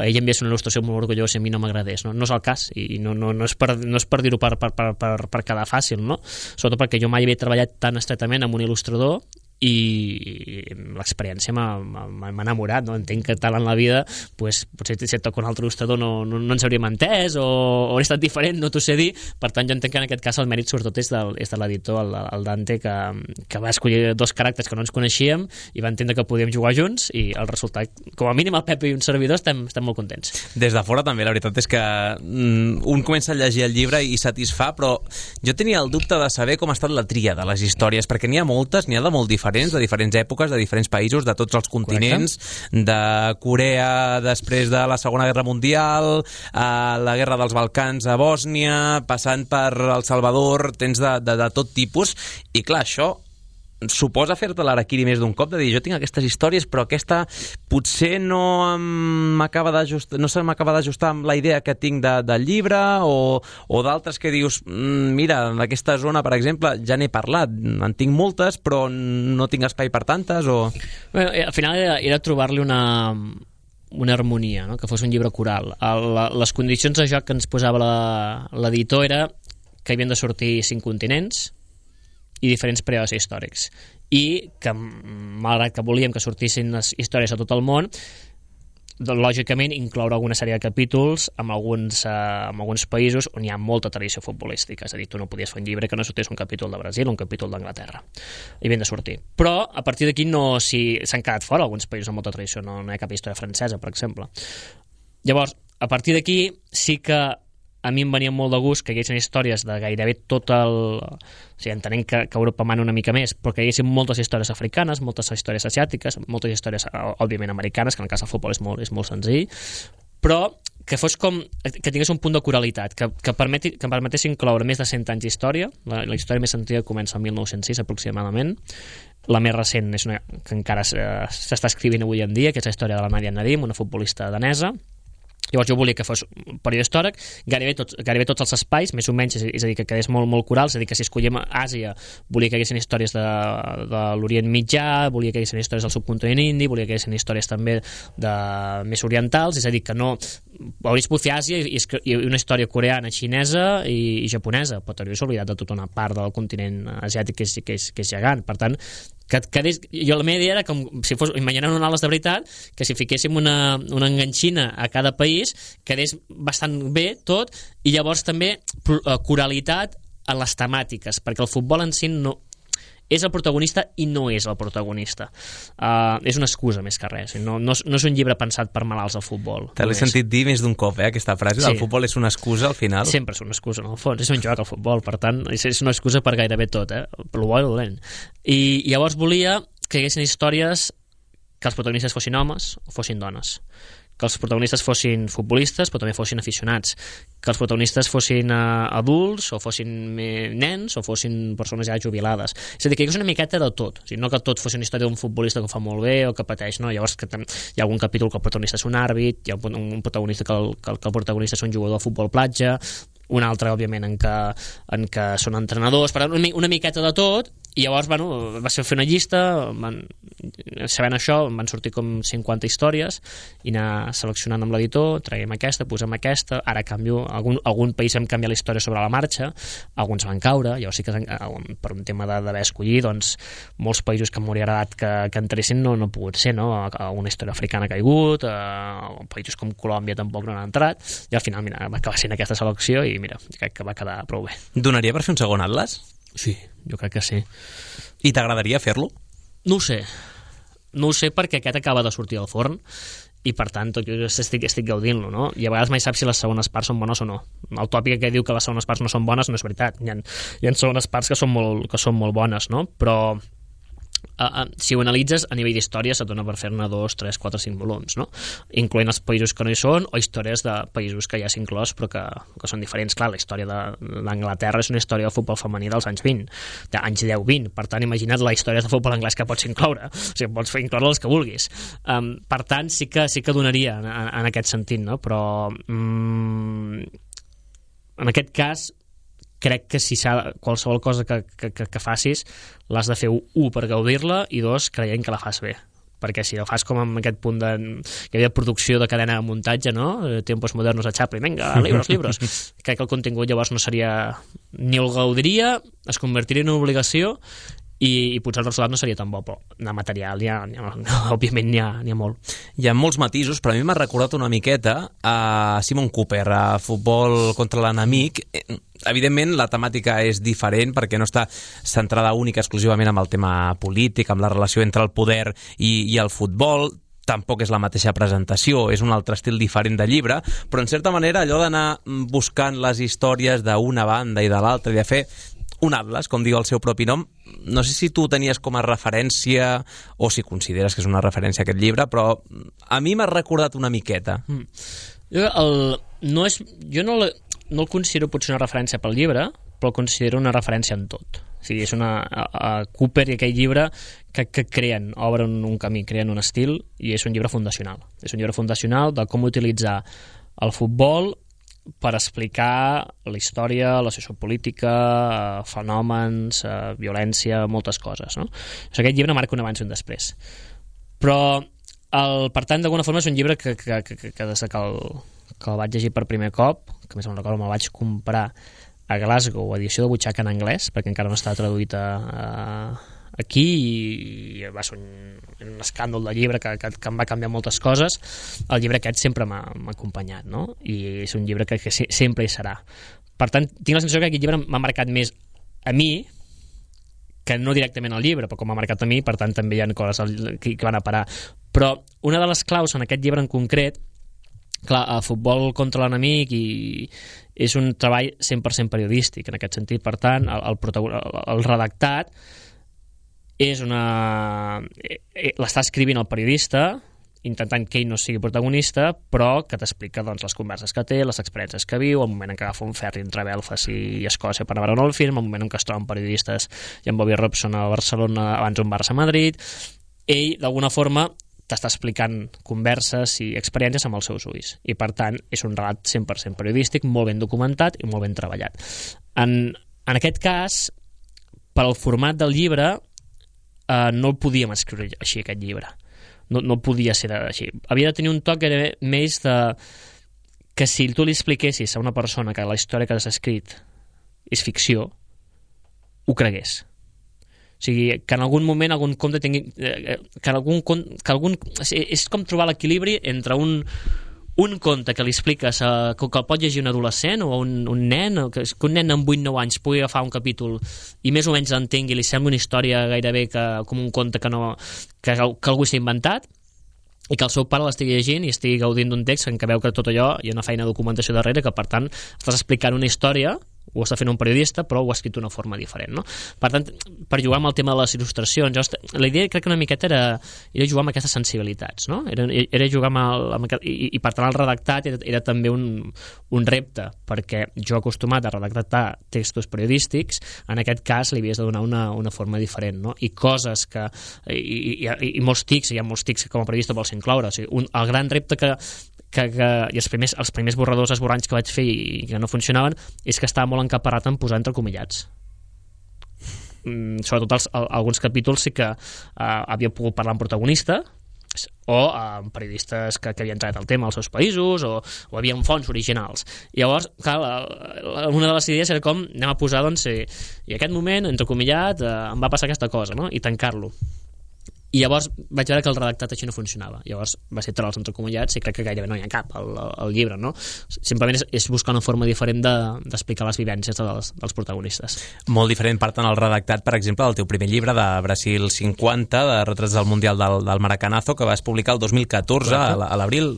ell enviés una il·lustració molt orgullosa i a mi no m'agradés, no? No és el cas, i no és per dir-ho per quedar fàcil, no? Sobretot perquè jo mai havia treballat tan estretament amb un il·lustrador i l'experiència m'ha enamorat, no? Entenc que tal en la vida pues, potser si et toca un altre il·lustrador no ens hauríem entès o hauria estat diferent, no t'ho sé dir, per tant jo entenc que en aquest cas el mèrit sobretot és de l'editor, el Dante, que va escollir dos caràcters que no ens coneixíem i va entendre que podíem jugar junts, i el resultat, com a mínim el Pep i un servidor estem molt contents. Des de fora també, la veritat és que un comença a llegir el llibre i satisfà, però jo tenia el dubte de saber com ha estat la tria de les històries, perquè n'hi ha moltes, n'hi ha de molt diferents, de diferents èpoques, de diferents països, de tots els continents. Correcte. De Corea després de la Segona Guerra Mundial, a la Guerra dels Balcans a Bòsnia, passant per El Salvador, tens de tot tipus, i clar, això suposa fer-te l'araquiri més d'un cop, de dir, jo tinc aquestes històries, però aquesta potser no se m'acaba d'ajustar amb la idea que tinc del llibre, o d'altres que dius, mira, en aquesta zona, per exemple, ja n'he parlat, en tinc moltes, però no tinc espai per tantes, o... Bé, al final era trobar-li una harmonia, no? Que fos un llibre coral. Les condicions de joc que ens posava l'editor era que havien de sortir 5 continents i diferents períodes històrics, i que malgrat que volíem que sortissin les històries a tot el món, lògicament incloure alguna sèrie de capítols amb alguns països on hi ha molta tradició futbolística, és a dir, tu no podies fer un llibre que no sortís un capítol de Brasil o un capítol d'Anglaterra, i havien de sortir, però a partir d'aquí s'han quedat fora alguns països amb molta tradició, no hi ha cap història francesa, per exemple. Llavors, a partir d'aquí sí que a mi em venia molt de gust que hi haguessin històries de gairebé tot o sigui, entenent que Europa mana una mica més, però que hi haguessin moltes històries africanes, moltes històries asiàtiques, moltes històries, òbviament, americanes, que en el cas del futbol és molt senzill, però que fos que tingués un punt de coralitat, que permetés incloure més de 100 anys d'història. La història més antiga comença el 1906 aproximadament, la més recent és una que encara s'està escrivint avui en dia, que és la història de la Nadia Nadim, una futbolista danesa. Llavors jo volia que fos un període històric, gairebé tots els espais, més o menys, és a dir, que quedés molt coral, és a dir, que si escollíem Àsia, volia que hi haguessin històries de l'Orient Mitjà, volia que hi haguessin històries del subcontinent indi, volia que hi haguessin històries també més orientals, és a dir, que no hauries pogut fer Àsia i una història coreana, xinesa i japonesa, però t'hauries oblidat de tota una part del continent asiàtic que és gegant. Per tant, jo la meva idea era com si fos, imaginant un ales de veritat, que si fiquéssim una enganxina a cada país quedés bastant bé tot, i llavors també coralitat en les temàtiques, perquè el futbol en si no és el protagonista i no és el protagonista. És una excusa més que res, no és un llibre pensat per malalts al futbol. Te l'he sentit dir més d'un cop, aquesta frase, sí. El futbol és una excusa al final. Sempre és una excusa, en el fons, és un joc al futbol, per tant, és una excusa per gairebé tot, per lo bo i dolent. I llavors volia que hi haguessin històries que els protagonistes fossin homes o fossin dones, que els protagonistes fossin futbolistes però també fossin aficionats, que els protagonistes fossin adults o fossin nens o fossin persones ja jubilades, és a dir, que hi hagués una miqueta de tot, o sigui, no que tot fos una història d'un futbolista que ho fa molt bé o que pateix, no, llavors que hi ha algun capítol que el protagonista és un àrbit, hi ha un protagonista que el protagonista és un jugador de futbol platja, un altre, òbviament, en què són entrenadors, per tant, una miqueta de tot. I llavors, va ser fer una llista, sabent això, van sortir com 50 històries, i anar seleccionant amb l'editor, traiem aquesta, posem aquesta, ara canvio, algun país vam canviar la història sobre la marxa, alguns van caure, llavors sí que per un tema d'haver escollit, doncs, molts països que m'hauria agradat que entressin no ha pogut ser, no? Una història africana ha caigut, països com Colòmbia tampoc no han entrat, i al final, mira, va acabar sent aquesta selecció i mira, crec que va quedar prou bé. Donaria per fer un segon atles? Sí, jo crec que sí. I t'agradaria fer-lo? No ho sé perquè aquest acaba de sortir al forn i per tant jo estic gaudint-lo, no? I a vegades mai saps si les segones parts són bones o no. El tòpic que diu que les segones parts no són bones no és veritat. Hi ha segones parts que són molt bones, no? Però si ho analitzes a nivell d'història se't dona per fer-ne 2, 3, 4, 5 volums, no? Incloent els països que no hi són o històries de països que ja s'ha inclòs però que són diferents. Clar, la història d'Anglaterra és una història del futbol femení dels anys 20, anys 10-20, per tant imagina't la història del futbol anglès que pots incloure, o sigui, pots incloure els que vulguis. Per tant sí que donaria en aquest sentit, no? Però en aquest cas crec que si qualsevol cosa que facis l'has de fer, 1, per gaudir-la i 2, creient que la fas bé, perquè si ho fas com en aquest punt que hi havia producció de cadena de muntatge, no? Tiempos modernos a Chaplin, venga, libros, crec que el contingut llavors no seria, ni el gaudiria, es convertiria en una obligació i potser el resultat no seria tan bo, però de material òbviament n'hi ha molt. Hi ha molts matisos, però a mi m'ha recordat una miqueta a Simon Cooper, a Futbol contra l'enemic. Evidentment la temàtica és diferent perquè no està centrada única exclusivament amb el tema polític, amb la relació entre el poder i el futbol. Tampoc és la mateixa presentació, és un altre estil diferent de llibre, però en certa manera allò d'anar buscant les històries d'una banda i de l'altra i de fer un atlas, com diu el seu propi nom, no sé si tu tenies com a referència o si consideres que és una referència aquest llibre, però a mi m'ha recordat una miqueta. Jo no el considero potser una referència pel llibre, però el considero una referència en tot. O sigui, és Cooper i aquell llibre que obren un camí, creen un estil, i és un llibre fundacional. És un llibre fundacional de com utilitzar el futbol per explicar la història, la sociopolítica, fenòmens, violència, moltes coses, no? O sigui, aquest llibre marca un abans i un després. Però, per tant, d'alguna forma és un llibre que des que el vaig llegir per primer cop, que més me'n recordo, me'l vaig comprar a Glasgow, edició de butxaca en anglès, perquè encara no estava traduït aquí, i va ser un escàndol de llibre que em va canviar moltes coses. El llibre aquest sempre m'ha acompanyat, no? I és un llibre que sempre hi serà. Per tant, tinc la sensació que aquest llibre m'ha marcat més a mi que no directament al llibre, però com m'ha marcat a mi, per tant també hi ha coses que van a parar. Però una de les claus en aquest llibre en concret, clar, el Futbol contra l'enemic és un treball 100% periodístic en aquest sentit. Per tant, el redactat l'està escrivint el periodista intentant que ell no sigui protagonista, però que t'explica les converses que té, les experiències que viu, el moment en què agafa un ferri entre Belfast i Escòcia per anar a veure el film, el moment en què es troben periodistes i en Bobby Robson a Barcelona abans un Barça-Madrid. Ell d'alguna forma t'està explicant converses i experiències amb els seus ulls, i per tant és un relat 100% periodístic, molt ben documentat i molt ben treballat. En aquest cas, per al format del llibre, no el podíem escriure així, aquest llibre. No podia ser així. Havia de tenir un toc que era més de que si tu li expliquessis a una persona que la història que has escrit és ficció, ho cregués. O sigui, que en algun moment algun conte tingui... és com trobar l'equilibri entre un conte que li expliques que el pot llegir un adolescent o un nen, que un nen amb 8-9 anys pugui agafar un capítol i més o menys l'entengui, li sembla una història gairebé com un conte que algú s'ha inventat, i que el seu pare l'estigui llegint i estigui gaudint d'un text en què veu que tot allò hi ha una feina de documentació darrere, que per tant estàs explicant una història, ho està fent un periodista, però ho ha escrit d'una forma diferent, no? Per tant, per jugar amb el tema de les il·lustracions, la idea crec que una miqueta era jugar amb aquestes sensibilitats, no? Era jugar amb i per tant el redactat era també un repte, perquè jo acostumat a redactar textos periodístics, en aquest cas li havies de donar una forma diferent, no? I coses que... i molts tics, hi ha molts tics que com a periodista vols incloure, o sigui, el gran repte i els primers borradors esborranys que vaig fer i que no funcionaven és que estava molt encaparrat en posar entrecomillats. Sobretot alguns capítols sí que havia pogut parlar amb protagonista o amb periodistes que havien entrat al tema als seus països o havien fonts originals. I llavors, clar, una de les idees era com anem a posar, doncs, i aquest moment, entrecomillat, em va passar aquesta cosa, no? I tancar-lo. i llavors vaig veure que el redactat així no funcionava. Llavors va ser trolls entrecomillats i crec que gairebé no hi ha cap al llibre, no? Simplement és buscar una forma diferent d'explicar les vivències dels protagonistes. Molt diferent, per tant, el redactat, per exemple, del teu primer llibre de Brasil 50, de retrats del Mundial del Maracanazo, que vas publicar el 2014, a l'abril,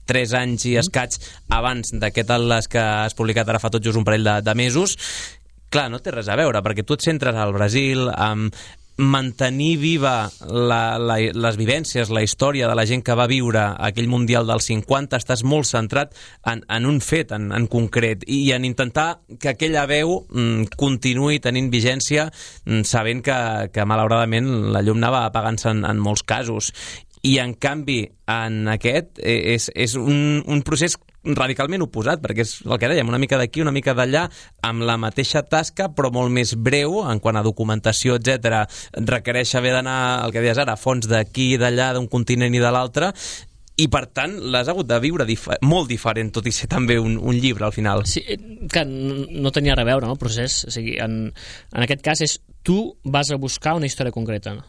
3 anys i escaig abans d'aquest atles que has publicat ara fa tot just un parell de mesos. Clar, no té res a veure, perquè tu et centres al Brasil, amb mantenir viva les vivències, la història de la gent que va viure aquell Mundial del 50, estàs molt centrat en un fet en concret i en intentar que aquella veu continuï tenint vigència, sabent que malauradament la llum anava apagant-se en molts casos. I en canvi en aquest és un procés radicalment oposat, perquè és el que dèiem, una mica d'aquí, una mica d'allà, amb la mateixa tasca, però molt més breu, en quant a documentació, etc. Requereix haver d'anar, el que deies ara, a fons d'aquí i d'allà, d'un continent i de l'altre, i per tant l'has hagut de viure molt diferent, tot i ser també un llibre al final. Sí, que no tenia res a veure, no, el procés. O sigui, en aquest cas és tu vas a buscar una història concreta,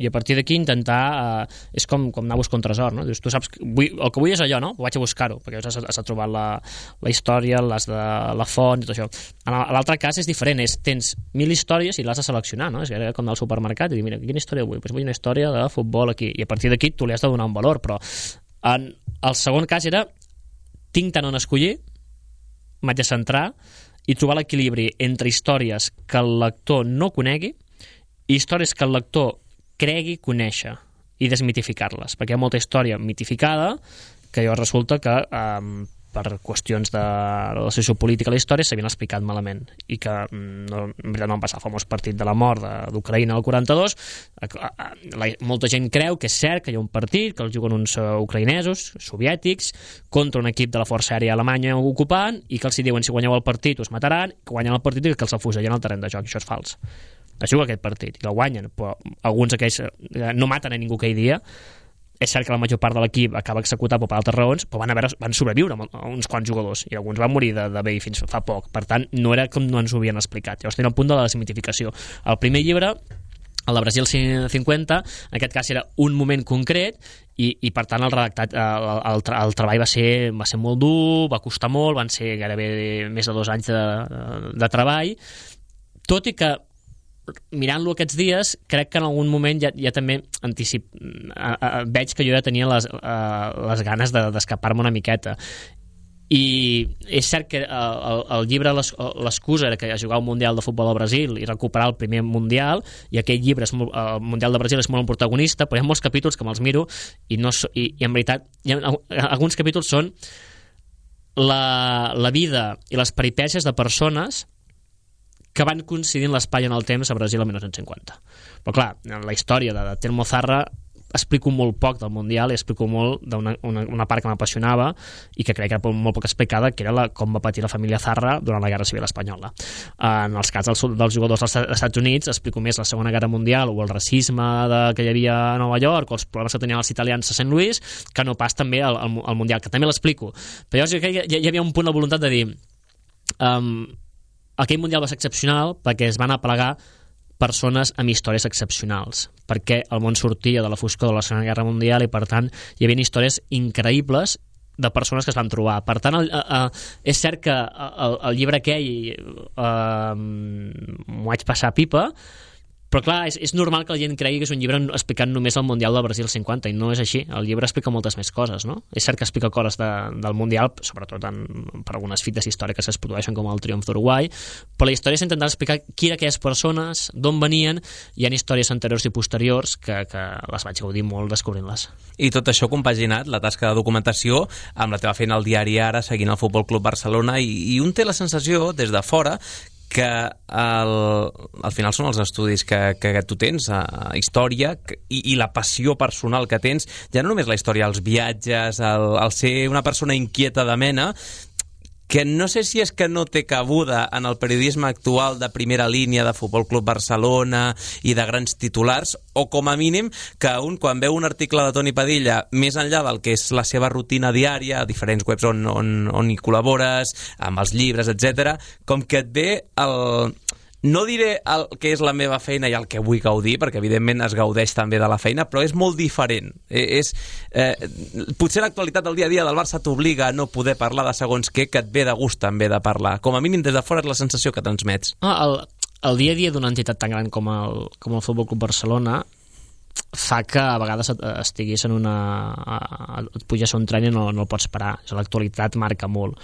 i a partir d'aquí intentar és com anar a buscar un tresor, no? Dius, tu saps el que vull és allò, no? Vaig a buscar-ho, perquè has trobat la història, les de la font i tot això. En l'altre cas és diferent, tens 1000 històries i l'has de seleccionar, no? És com anar al supermercat i dir, mira, quina història vull? Pues vull una història de futbol aquí, i a partir d'aquí tu li has de donar un valor, però en el segon cas era tinc tant on escollir, m'haig de centrar i trobar l'equilibri entre històries que el lector no conegui i històries que el lector cregui conèixer i desmitificar-les, perquè hi ha molta història mitificada que llavors resulta que per qüestions de relació sociopolítica a la història s'havien explicat malament i que en veritat no van passar el famós partit de la mort d'Ucraïna al 42. Molta gent creu que és cert que hi ha un partit que el juguen uns ucraïnesos soviètics contra un equip de la Força Aèria Alemanya ocupant i que els diuen si guanyeu el partit us mataran, que guanyen el partit i que els afusellen al terreny de joc. Això és fals. Es juga aquest partit i el guanyen, però alguns d'aquells no maten a ningú aquell dia. És cert que la major part de l'equip acaba executat per altres raons, però van sobreviure uns quants jugadors i alguns van morir de vell fins fa poc. Per tant, no era com no ens ho havien explicat. Llavors tenia un punt de la desmitificació. El primer llibre, el de Brasil 50, en aquest cas era un moment concret i per tant el redactat, el treball va ser molt dur, va costar molt, van ser gairebé més de 2 anys de treball, tot i que mirant-lo aquests dies, crec que en algun moment ja també veig que jo ja tenia les ganes d'escapar-me una miqueta. I és cert que el llibre, l'excusa era que jugar un Mundial de futbol al Brasil i recuperar el primer Mundial, i aquell llibre, el Mundial de Brasil, és molt un protagonista, però hi ha molts capítols que me'ls miro i en veritat alguns capítols són la vida i les peripècies de persones que van coincidint l'espai en el temps a Brasil el 1950. Però clar, en la història de Telmo Zarra explico molt poc del Mundial i explico molt d'una part que m'apassionava i que crec que era molt poc explicada, que era com va patir la família Zarra durant la Guerra Civil Espanyola. En els cas dels jugadors dels Estats Units explico més la Segona Guerra Mundial o el racisme que hi havia a Nova York o els problemes que tenien els italians a Sant Louis, que no pas també al Mundial, que també l'explico. Però jo crec que hi havia un punt de voluntat de dir aquell Mundial va ser excepcional perquè es van aplegar persones amb històries excepcionals, perquè el món sortia de la foscor de la Segona Guerra Mundial i per tant hi havia històries increïbles de persones que es van trobar. Per tant, és cert que el llibre aquell m'ho vaig passar pipa, però clar, és normal que la gent cregui que és un llibre explicant només el Mundial del Brasil 50 i no és així. El llibre explica moltes més coses, no? És cert que explica coses del Mundial, sobretot per algunes fites històriques que es produeixen com el triomf d'Uruguai, però la història és intentar explicar qui eren aquelles persones, d'on venien. Hi ha històries anteriors i posteriors que les vaig gaudir molt descobrint-les. I tot això compaginat, la tasca de documentació, amb la teva feina al diari Ara, seguint el Futbol Club Barcelona, i un té la sensació, des de fora, que al final són els estudis que tu tens, història i la passió personal que tens, ja no només la història, els viatges, el ser una persona inquieta de mena, que no sé si és que no té cabuda en el periodisme actual de primera línia de Futbol Club Barcelona i de grans titulars, o com a mínim que quan veu un article de Toni Padilla més enllà del que és la seva rutina diària, a diferents webs on hi col·labores, amb els llibres, etc., com que et ve no diré el que és la meva feina i el que vull gaudir, perquè evidentment es gaudeix també de la feina, però és molt diferent. Potser l'actualitat del dia a dia del Barça t'obliga a no poder parlar de segons què, que et ve de gust també de parlar. Com a mínim des de fora és la sensació que transmets. El dia a dia d'una entitat tan gran com el Futbol Club Barcelona fa que a vegades estiguis en et puges a un tren i no el pots parar. L'actualitat marca molt.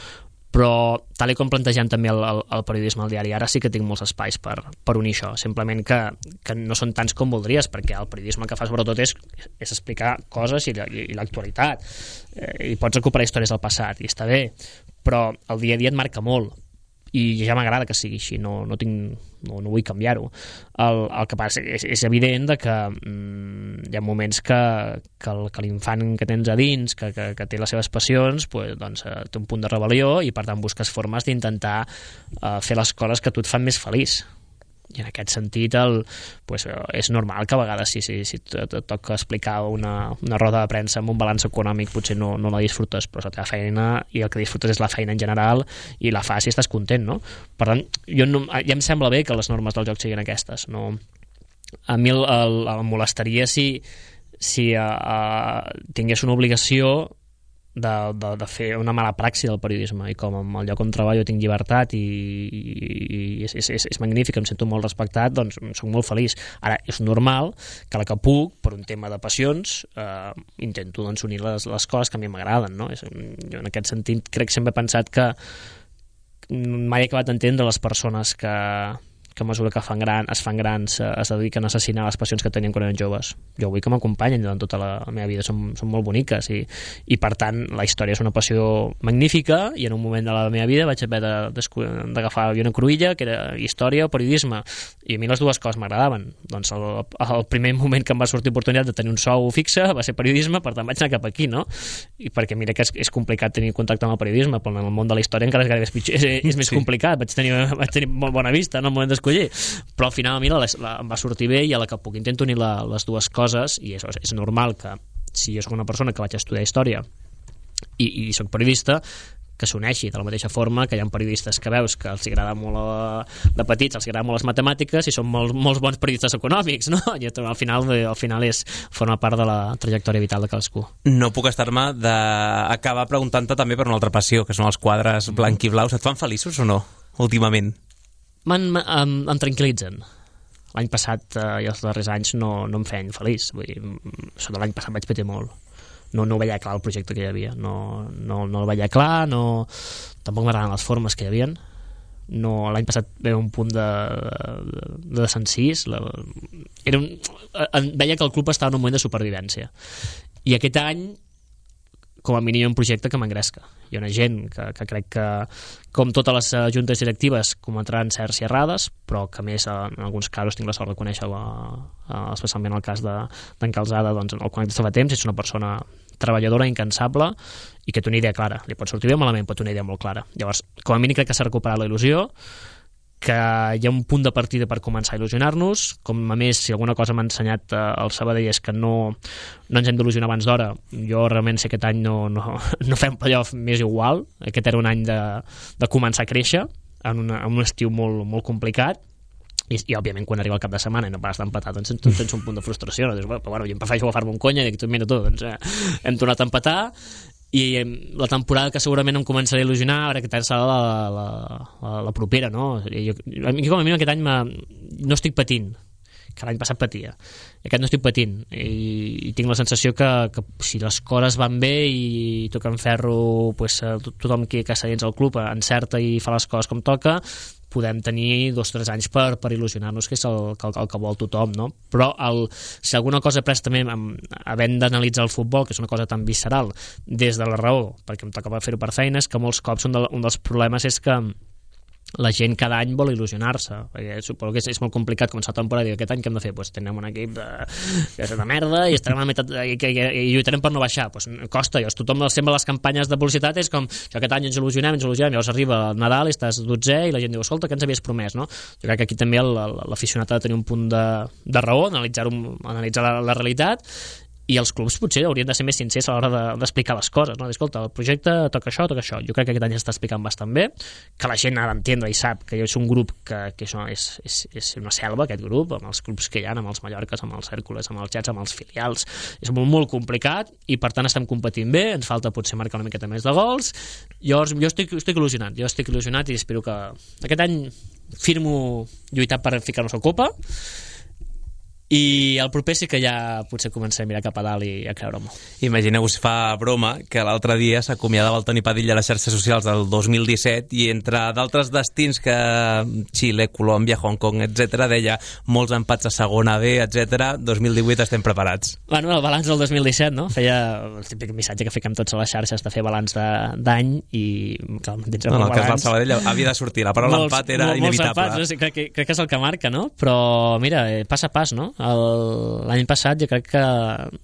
Però, tal com plantegem també el periodisme al diari, ara sí que tinc molts espais per unir això, simplement que no són tants com voldries, perquè el periodisme que fas sobretot és explicar coses i l'actualitat, i pots recuperar històries del passat, i està bé, però el dia a dia et marca molt, i ja m'agrada que sigui així, no vull canviar-ho. El que passa és evident que hi ha moments que l'infant que tens a dins, que té les seves passions, doncs, té un punt de rebel·lió i per tant busques formes d'intentar fer les coses que a tu et fan més feliç. I en aquest sentit és normal que a vegades si et toca explicar una roda de premsa amb un balanç econòmic potser no la disfrutes, però és la teva feina i el que disfrutes és la feina en general i la fas i estàs content, no? Per tant, ja em sembla bé que les normes del joc siguin aquestes. A mi em molestaria si tingués una obligació de fer una mala praxi del periodisme, i com al lloc on treballo tinc llibertat i és magnífic, em sento molt respectat, doncs soc molt feliç. Ara, és normal que la que puc, per un tema de passions, intento doncs, unir les coses que a mi m'agraden, no? Jo en aquest sentit crec que sempre he pensat que mai he acabat d'entendre les persones que a mesura que es fan grans es dediquen a assassinar les passions que tenien quan eren joves. Jo vull que m'acompanyen durant tota la meva vida, són molt boniques i per tant la història és una passió magnífica, i en un moment de la meva vida vaig haver d'agafar una cruïlla que era història o periodisme, i a mi les dues coses m'agradaven. Doncs el primer moment que em va sortir oportunitat de tenir un sou fixe va ser periodisme, per tant vaig anar cap aquí, no? I perquè mira que és complicat tenir contacte amb el periodisme, però en el món de la història encara és gairebé pitjor, és més complicat. Vaig tenir molt bona vista en el moment d'escollir, però al final a mi em va sortir bé, i a la que puc intento unir les dues coses, i és normal que si jo soc una persona que vaig estudiar història i soc periodista, que s'uneixi de la mateixa forma que hi ha periodistes que veus que els agrada molt de petits, els agrada molt les matemàtiques i són molts bons periodistes econòmics, no? I al final forma part de la trajectòria vital de cadascú. No puc estar-me d'acabar preguntant-te també per una altra passió, que són els quadres blanc i blaus. Et fan feliços o no, últimament? Em tranquil·litzen. L'any passat i els darrers anys no em feien feliç. Sota l'any passat vaig patir molt. No veia clar el projecte que hi havia. No el veia clar, tampoc m'agraden les formes que hi havia. L'any passat veia un punt de desencís. Veia que el club estava en un moment de supervivència. I aquest any, com a mínim, hi ha un projecte que m'engresca. Hi ha una gent que crec que, com totes les juntes directives, cometran certs i errades, però que més en alguns casos tinc la sort de conèixer, especialment el cas d'en Calzada, doncs el conec des de fa temps, és una persona treballadora, incansable, i que té una idea clara. Li pot sortir bé o malament, però té una idea molt clara. Llavors, com a mínim crec que s'ha recuperat la il·lusió, que hi ha un punt de partida per començar a il·lusionar-nos. Com a més, si alguna cosa m'ha ensenyat el Sabadell és que no ens hem d'il·lusionar abans d'hora. Jo realment, si aquest any no fem playoff, m'és igual. Aquest era un any de començar a créixer en un estiu molt, molt complicat, i òbviament quan arriba el cap de setmana i no pares d'empatar, doncs tens un punt de frustració, no? Dius, però bueno, jo em prefereixo agafar-me un conya i dic, mira tu, doncs hem tornat a empatar, i la temporada que segurament em començaré a il·lusionar, ara que serà la propera, no? A mi com a mínim aquest any no estic patint, que l'any passat patia. Aquest no estic patint, i tinc la sensació que si les coses van bé i toquen ferro, pues, tothom que està dins el club encerta i fa les coses com toca, podem tenir 2 o 3 anys per il·lusionar-nos, que és el que vol tothom, no? Però si alguna cosa he pres també havent d'analitzar el futbol, que és una cosa tan visceral, des de la raó, perquè em tocava fer-ho per feines, que molts cops un dels problemes és que la gent cada any vol il·lusionar-se, perquè suposo que és molt complicat començar la temporada i aquest any què hem de fer? Doncs tenim un equip que és de merda i estarem a la meitat i lluitarem per no baixar. Doncs costa, tothom sempre les campanyes de publicitat és com que aquest any ens il·lusionem, llavors arriba el Nadal i estàs 12è i la gent diu, escolta, què ens havies promès, no? Jo crec que aquí també l'aficionat ha de tenir un punt de raó, analitzar la realitat, i els clubs potser haurien de ser més sincers a l'hora d'explicar les coses, no? Escolta, el projecte toca això. Jo crec que aquest any s'està explicant bastant bé, que la gent ha d'entendre i sap que és un grup que és una selva, aquest grup, amb els clubs que hi ha, amb els Mallorques, amb els Hèrcules, amb els Jets, amb els filials. És molt complicat i per tant estem competint bé, ens falta potser marcar una miqueta més de gols. Jo estic il·lusionat i espero que aquest any firmo lluitar per ficar-nos a Copa, i el proper sí que ja potser començaré a mirar cap a dalt i a creure-m'ho. Imagineu-vos, fa broma que l'altre dia s'acomiadava el Toni Padilla a les xarxes socials del 2017 i entre d'altres destins que Xile, Colòmbia, Hong Kong, etc., deia molts empats a segona B, etc. 2018 estem preparats. Bueno, el balanç del 2017, no? Feia el típic missatge que fiquem tots a les xarxes de fer balanç d'any i clar, dins el cas del Sabadell havia de sortir, la paraula empat era inevitable. Molts empats, crec que és el que marca, no? Però mira, pas a pas, no? L'any passat jo crec que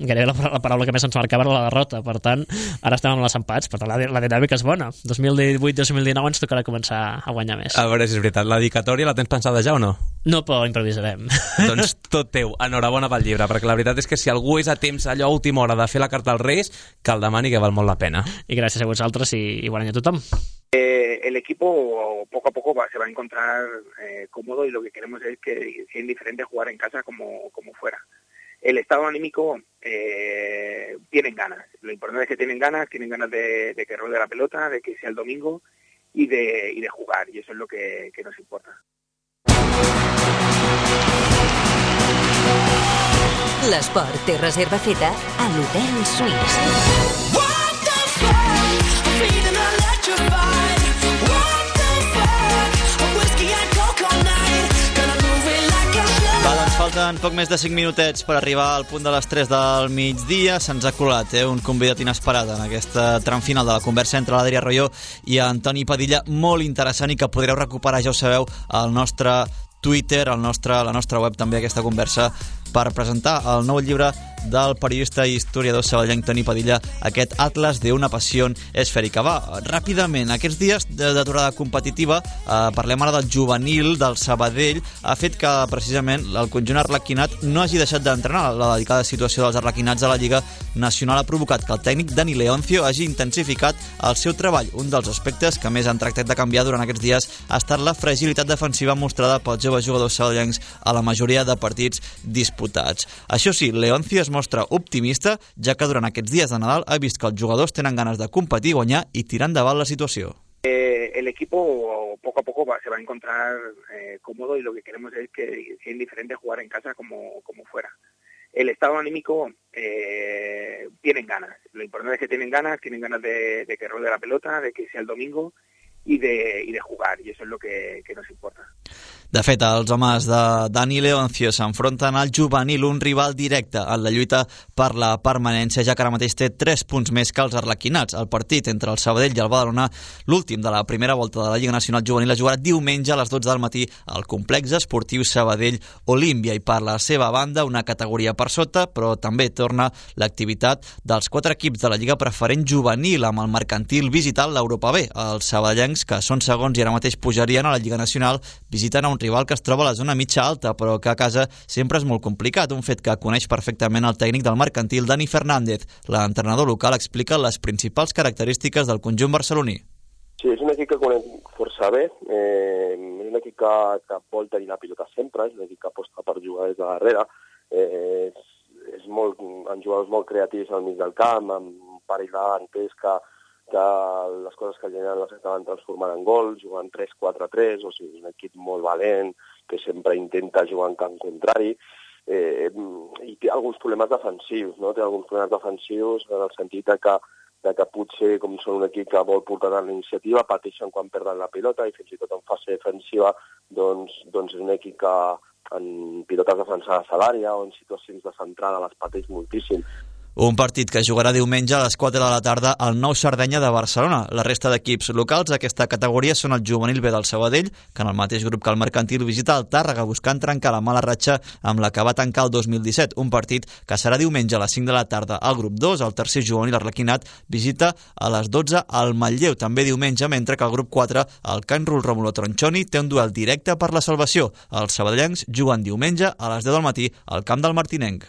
gairebé la paraula que més ens marcava era la derrota, per tant ara estem amb els empats, per tant la dinàmica és bona. 2018-2019 ens tocarà començar a guanyar més. A veure si és veritat, la dedicatòria la tens pensada ja o no? No, però improvisarem. Doncs tot teu, enhorabona pel llibre, perquè la veritat és que si algú és a temps allò a última hora de fer la carta als Reis, que el demani, que val molt la pena. I gràcies a vosaltres i bon any a tothom. El equipo poco a poco se va a encontrar cómodo y lo que queremos es que sea indiferente jugar en casa como fuera. El estado anímico tienen ganas. Lo importante es que tienen ganas de que role la pelota, de que sea el domingo y de jugar, y eso es lo que nos importa. L'esport té reserva feta a l'Hotel Suís. Falten poc més de 5 minutets per arribar al punt de les 3 del migdia. Se'ns ha colat un convidat inesperat en aquesta tram final de la conversa entre l'Adrià Royo i Antoni Padilla, molt interessant i que podreu recuperar, ja ho sabeu, al nostre Twitter, la nostra web també, aquesta conversa, per presentar el nou llibre del periodista i historiador sabadellenc Toni Padilla, aquest Atlas de una passió esfèrica. Va, ràpidament, aquests dies d'aturada competitiva, parlem ara del juvenil del Sabadell, ha fet que precisament el conjunt arlequinat no hagi deixat d'entrenar. La delicada situació dels arlequinats a la Lliga Nacional ha provocat que el tècnic Dani Leoncio hagi intensificat el seu treball. Un dels aspectes que més han tractat de canviar durant aquests dies ha estat la fragilitat defensiva mostrada pels joves jugadors sabadellencs a la majoria de partits disputats. Això sí, Leoncio es mostra optimista, ja que durant aquests dies de Nadal ha vist que els jugadors tenen ganes de competir, guanyar i tirar endavant la situació. El equipo poco a poco se va a encontrar cómodo y lo que queremos es que sea indiferente jugar en casa como fuera. El estado anímico tienen ganas. Lo importante es que tienen ganas de que role la pelota, de que sea el domingo y de jugar, y eso es lo que nos importa. De fet, els homes de Dani Leoncio s'enfronten al juvenil, un rival directe en la lluita per la permanència, ja que ara mateix té 3 punts més que els arlequinats. El partit entre el Sabadell i el Badalona, l'últim de la primera volta de la Lliga Nacional Juvenil, es jugarà diumenge a les 12 del matí al complex esportiu Sabadell Olímpia, i per la seva banda una categoria per sota, però també torna l'activitat dels 4 equips de la Lliga Preferent Juvenil, amb el Mercantil visitant l'Europa B. Els sabadellencs, que són segons i ara mateix pujarien a la Lliga Nacional, visiten a un rival que es troba a la zona mitja alta, però que a casa sempre és molt complicat, un fet que coneix perfectament el tècnic del Mercantil, Dani Fernández. L'entrenador local explica les principals característiques del conjunt barceloní. Sí, és un equip que conec força bé, és un equip que vol tenir la pilota sempre, és un equip que aposta per jugar des de darrere, han jugadors molt creatius al mig del camp, amb un parell d'antes que les coses que generen les acaben transformant en gols, jugant 3-4-3, o sigui, és un equip molt valent, que sempre intenta jugar en camp contrari, i té alguns problemes defensius, no? Té alguns problemes defensius en el sentit de que potser, com són un equip que vol portar la iniciativa, pateixen quan perden la pilota, i fins i tot en fase defensiva, doncs és un equip que en pilotes defensades a l'àrea o en situacions de centrada les pateix moltíssim. Un partit que jugarà diumenge a les 4 de la tarda al Nou Sardenya de Barcelona. La resta d'equips locals d'aquesta categoria són el juvenil B del Sabadell, que en el mateix grup que el Mercantil visita el Tàrrega, buscant trencar la mala ratxa amb la que va tancar el 2017. Un partit que serà diumenge a les 5 de la tarda al grup 2. El tercer juvenil arlequinat visita a les 12 al Manlleu, també diumenge, mentre que el grup 4, el Can Rul Rómulo Tronchoni, té un duel directe per la salvació. Els sabadellencs juguen diumenge a les 10 del matí al camp del Martinenc.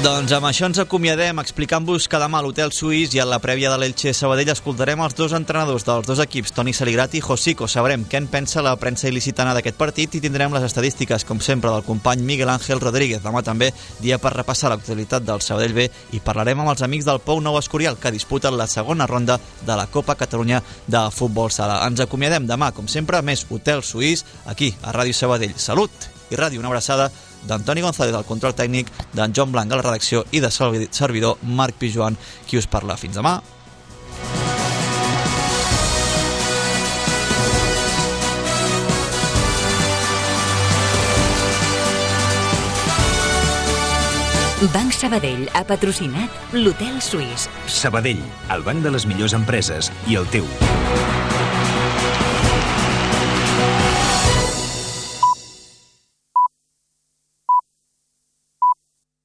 Doncs amb això ens acomiadem explicant-vos que demà a l'Hotel Suís i a la prèvia de l'Elche Sabadell escoltarem els dos entrenadors dels dos equips, Toni Saligrat i Josico. Sabrem què en pensa la premsa il·licitana d'aquest partit i tindrem les estadístiques, com sempre, del company Miguel Ángel Rodríguez. Demà també dia per repassar l'actualitat del Sabadell B i parlarem amb els amics del Pou Nou Escorial, que disputen la segona ronda de la Copa Catalunya de Futbol Sala. Ens acomiadem demà, com sempre, més Hotel Suís, aquí a Ràdio Sabadell. Salut i ràdio, una abraçada d'Antoni González al control tècnic, d'en Joan Blanc a la redacció i de servidor Marc Pijuan, qui us parla. Fins demà. Banc Sabadell ha patrocinat l'Hotel Suís. Sabadell, el banc de les millors empreses i el teu.